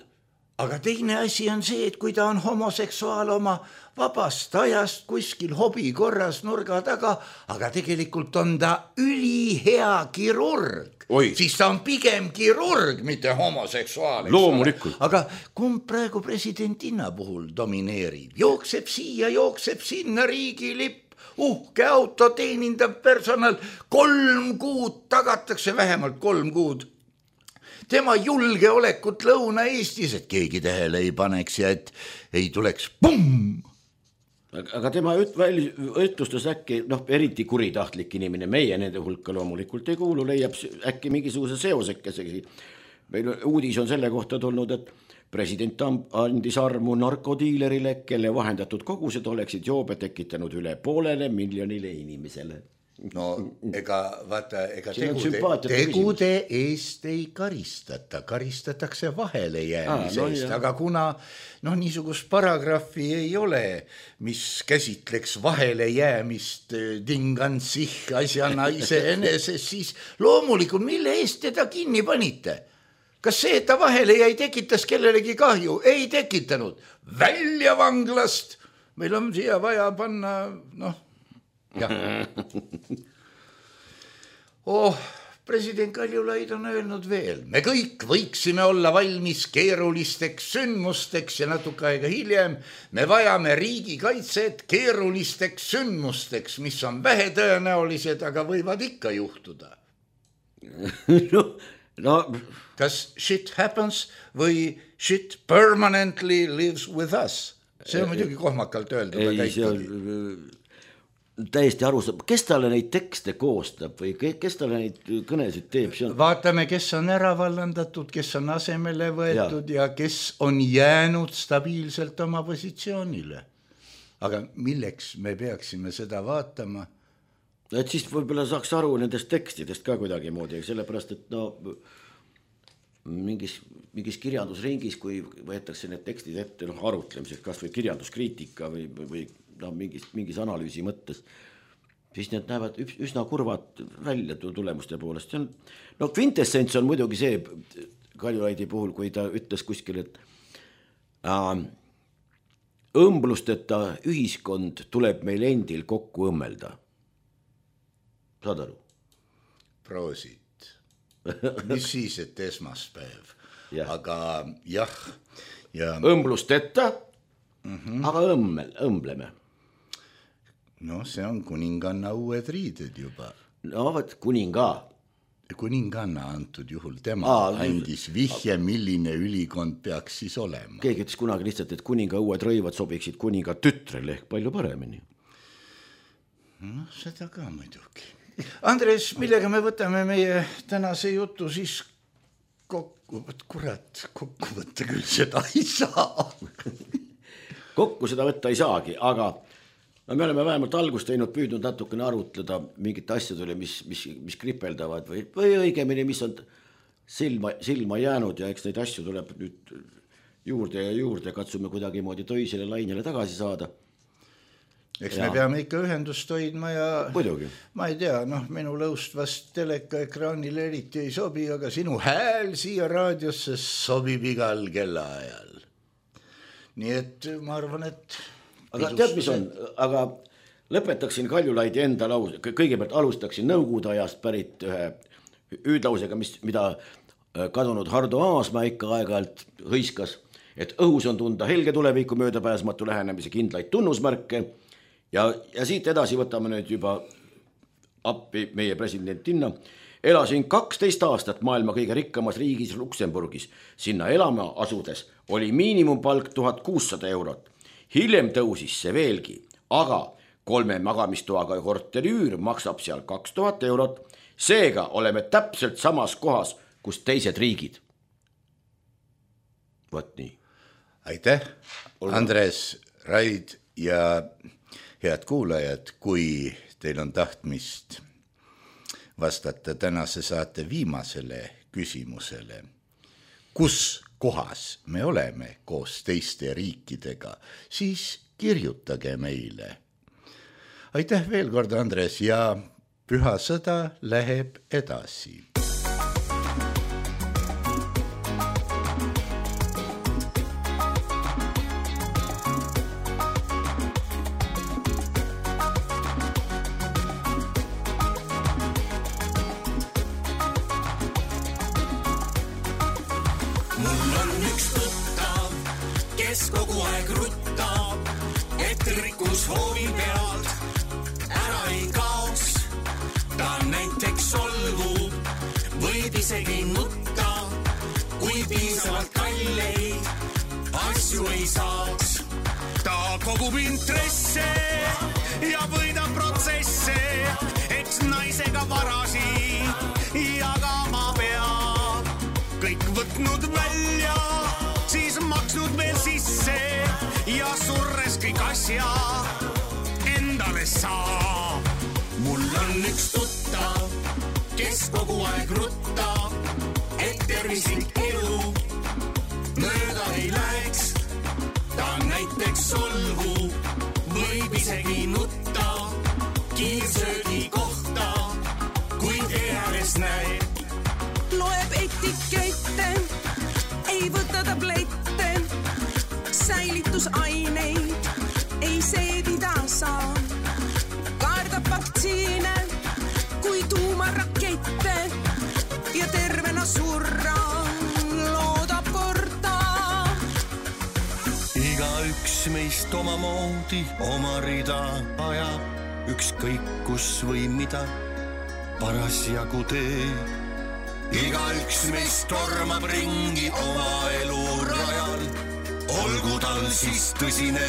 aga teine asi on see, et kui ta on homoseksuaal oma vabast ajast kuskil hobi korras nurga taga, aga tegelikult on ta ülihea kirurg. Siis ta on pigem kirurg, mitte homoseksuaal. Loomulikult. Aga kumb praegu presidentinna puhul domineerib? Jookseb siia, jookseb sinna riigilipp, uhke auto, teenindav personal, 3 kuud tagatakse, vähemalt 3 kuud. Tema julgeolekut Lõuna-Eestis, et keegi tähele ei paneks ja et ei tuleks pumm. Aga tema ütlustas äkki, eriti kuritahtlik inimene, meie nende hulka loomulikult ei kuulu, leiab äkki mingisuguse seosekesegi. Meil uudis on selle kohta tulnud, et president andis armu narkodiilerile, kelle vahendatud kogused oleksid joobe tekitanud üle 500 miljonile inimesele. No ega tegude eest ei karistata, karistatakse vahele jäämise eest, aga kuna niisugust paragrahvi ei ole, mis käsitleks vahele jäämist Ding-an-sich asjana iseeneses, siis loomulikult mille eest teda kinni panite? Kas see, et ta vahele jäi, tekitas kellelegi kahju? Ei tekitanud. Välja vanglast. Meil on siia vaja panna, president Kaljulaid on öelnud veel, me kõik võiksime olla valmis keerulisteks sündmusteks ja natuke aega hiljem me vajame riigikaitset keerulisteks sündmusteks, mis on vähetõenäolised, aga võivad ikka juhtuda. Kas shit happens või shit permanently lives with us? See on muidugi kohmakalt öeldud. Täiesti aru saab, kes talle neid tekste koostab või kes talle neid kõnesid teeb? Vaatame, kes on ära vallandatud, kes on asemele võetud ja kes on jäänud stabiilselt oma positsioonile. Aga milleks me peaksime seda vaatama? Et siis võib-olla saaks aru nendest tekstidest ka kuidagi moodi, sellepärast, et mingis kirjandusringis, kui võetakse need tekstid ette arutlemiseks, kas või kirjanduskriitika või mingis analüüsi mõttes, siis need näevad üsna kurvad välja tulemuste poolest. Kvintessents on muidugi see Kaljulaidi puhul, kui ta ütles kuskil, et õmblusteta ühiskond tuleb meil endil kokku õmmelda. Saad aru? Proosit. Mis siis, et esmaspäev? Aga jah. Õmblusteta, aga õmbleme. No see on kuninganna uued riided juba. No võt, kuninga. Kuninganna antud juhul, tema andis vihje, milline ülikond peaks siis olema. Keegi ütles kunagi lihtsalt, et kuninga uued rõivad sobiksid kuninga tütrele ehk palju paremini. No seda ka muidugi. Andres, millega me võtame meie tänase jutu siis kokku? Kokku võtta küll seda ei saa. Kokku seda võtta ei saagi, aga me oleme vähemalt algust teinud, püüdnud natukene arutleda mingite asjadele, mis kripeldavad või õigemini, mis on silma jäänud ja eks neid asju tuleb nüüd juurde ja juurde, katsume kuidagi moodi töisele lainele tagasi saada. Eks me peame ikka ühendust hoidma ja Muidugi. Ma ei tea, minu lõust vast teleka ekraanile eriti ei sobi, aga sinu hääl siia raadiosse sobib igal kellaajal. Nii et ma arvan, et aga tead, mis on? Aga lõpetaksin Kaljulaidi enda lause, kõigepealt alustaksin Nõukogude ajast pärit ühe hüüdlausega, mida kadunud Hardo Aasma ikka aeg-ajalt hõiskas, et õhus on tunda helge tuleviku möödapääsmatu lähenemise kindlaid tunnusmärke ja siit edasi võtame nüüd juba appi meie presidentinna. Elasin 12 aastat maailma kõige rikkamas riigis Luksemburgis. Sinna elama asudes oli miinimumpalk 1600 eurot. Hiljem tõusis see veelgi, aga 3 magamistoaga korteri üür maksab seal 2000 eurot. Seega oleme täpselt samas kohas, kus teised riigid. Võt nii. Aitäh, Andres, Raid ja head kuulajad, kui teil on tahtmist vastata tänase saate viimasele küsimusele. Kus kohas me oleme koos teiste riikidega, siis kirjutage meile. Aitäh veel kord, Andres, ja püha sõda läheb edasi. Mul on üks tuttav, kes kogu aeg ruttab, et rikkus hoovi pealt ära ei kaoks. Ta näiteks solvub, võib isegi nutta, kui piisavalt kalleid asju ei saaks. Ta kogub intresse ja võidab protsesse, eks naisega varasi jagama peab. Kõik võtnud välja, siis maksnud veel sisse ja surres kõik asja endale saab. Mul on üks tuttav, kes kogu aeg ruttab, et tervislik elu mööda ei läheks. Ta näiteks solvub, võib isegi nutta kiirsöögi kohta, kui tee ääres näeb. Loeb etikette, ei võta tablette, säilitusaineid ei seedida saa. Kaardab vaktsiine kui tuumarakette ja tervena surra loodab korda. Igaüks meist omamoodi oma rida ajab, ükskõik kus või mida parasjagu teeb. Igaüks meist tormab ringi oma elu rajal, olgu tal siis tõsine,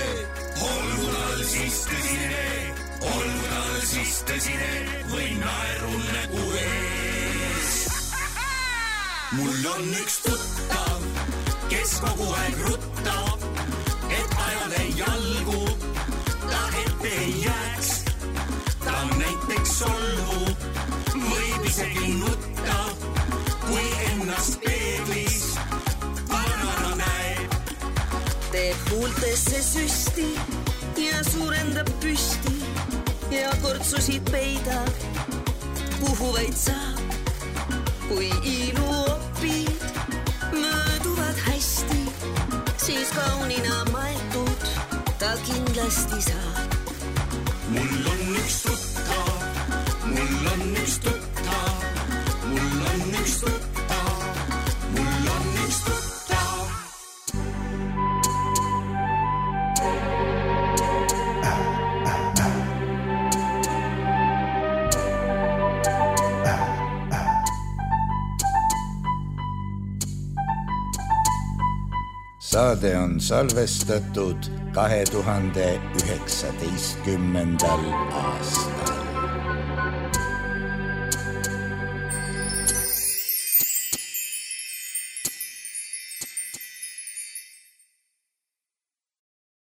olgu tal siis tõsine, olgu tal siis tõsine või naerul nägu ees. Mul on üks tuttav, kes kogu aeg ruttab, et ajale jalgu ta ette ei jääks. Ta näiteks solvub, võib isegi nutta, kui ennast peeglis vanana näeb. Teeb huultesse süsti ja suurendab püsti ja kortsusid peidab, kuhu vaid saab. Kui ilu opid mööduvad hästi, siis kaunina maetud ta kindlasti saab. Mul on üks tuttav, mul on üks tuttav, mul on üks tuttav, mul on üks tuttav. Saade on salvestatud 2019. aastal.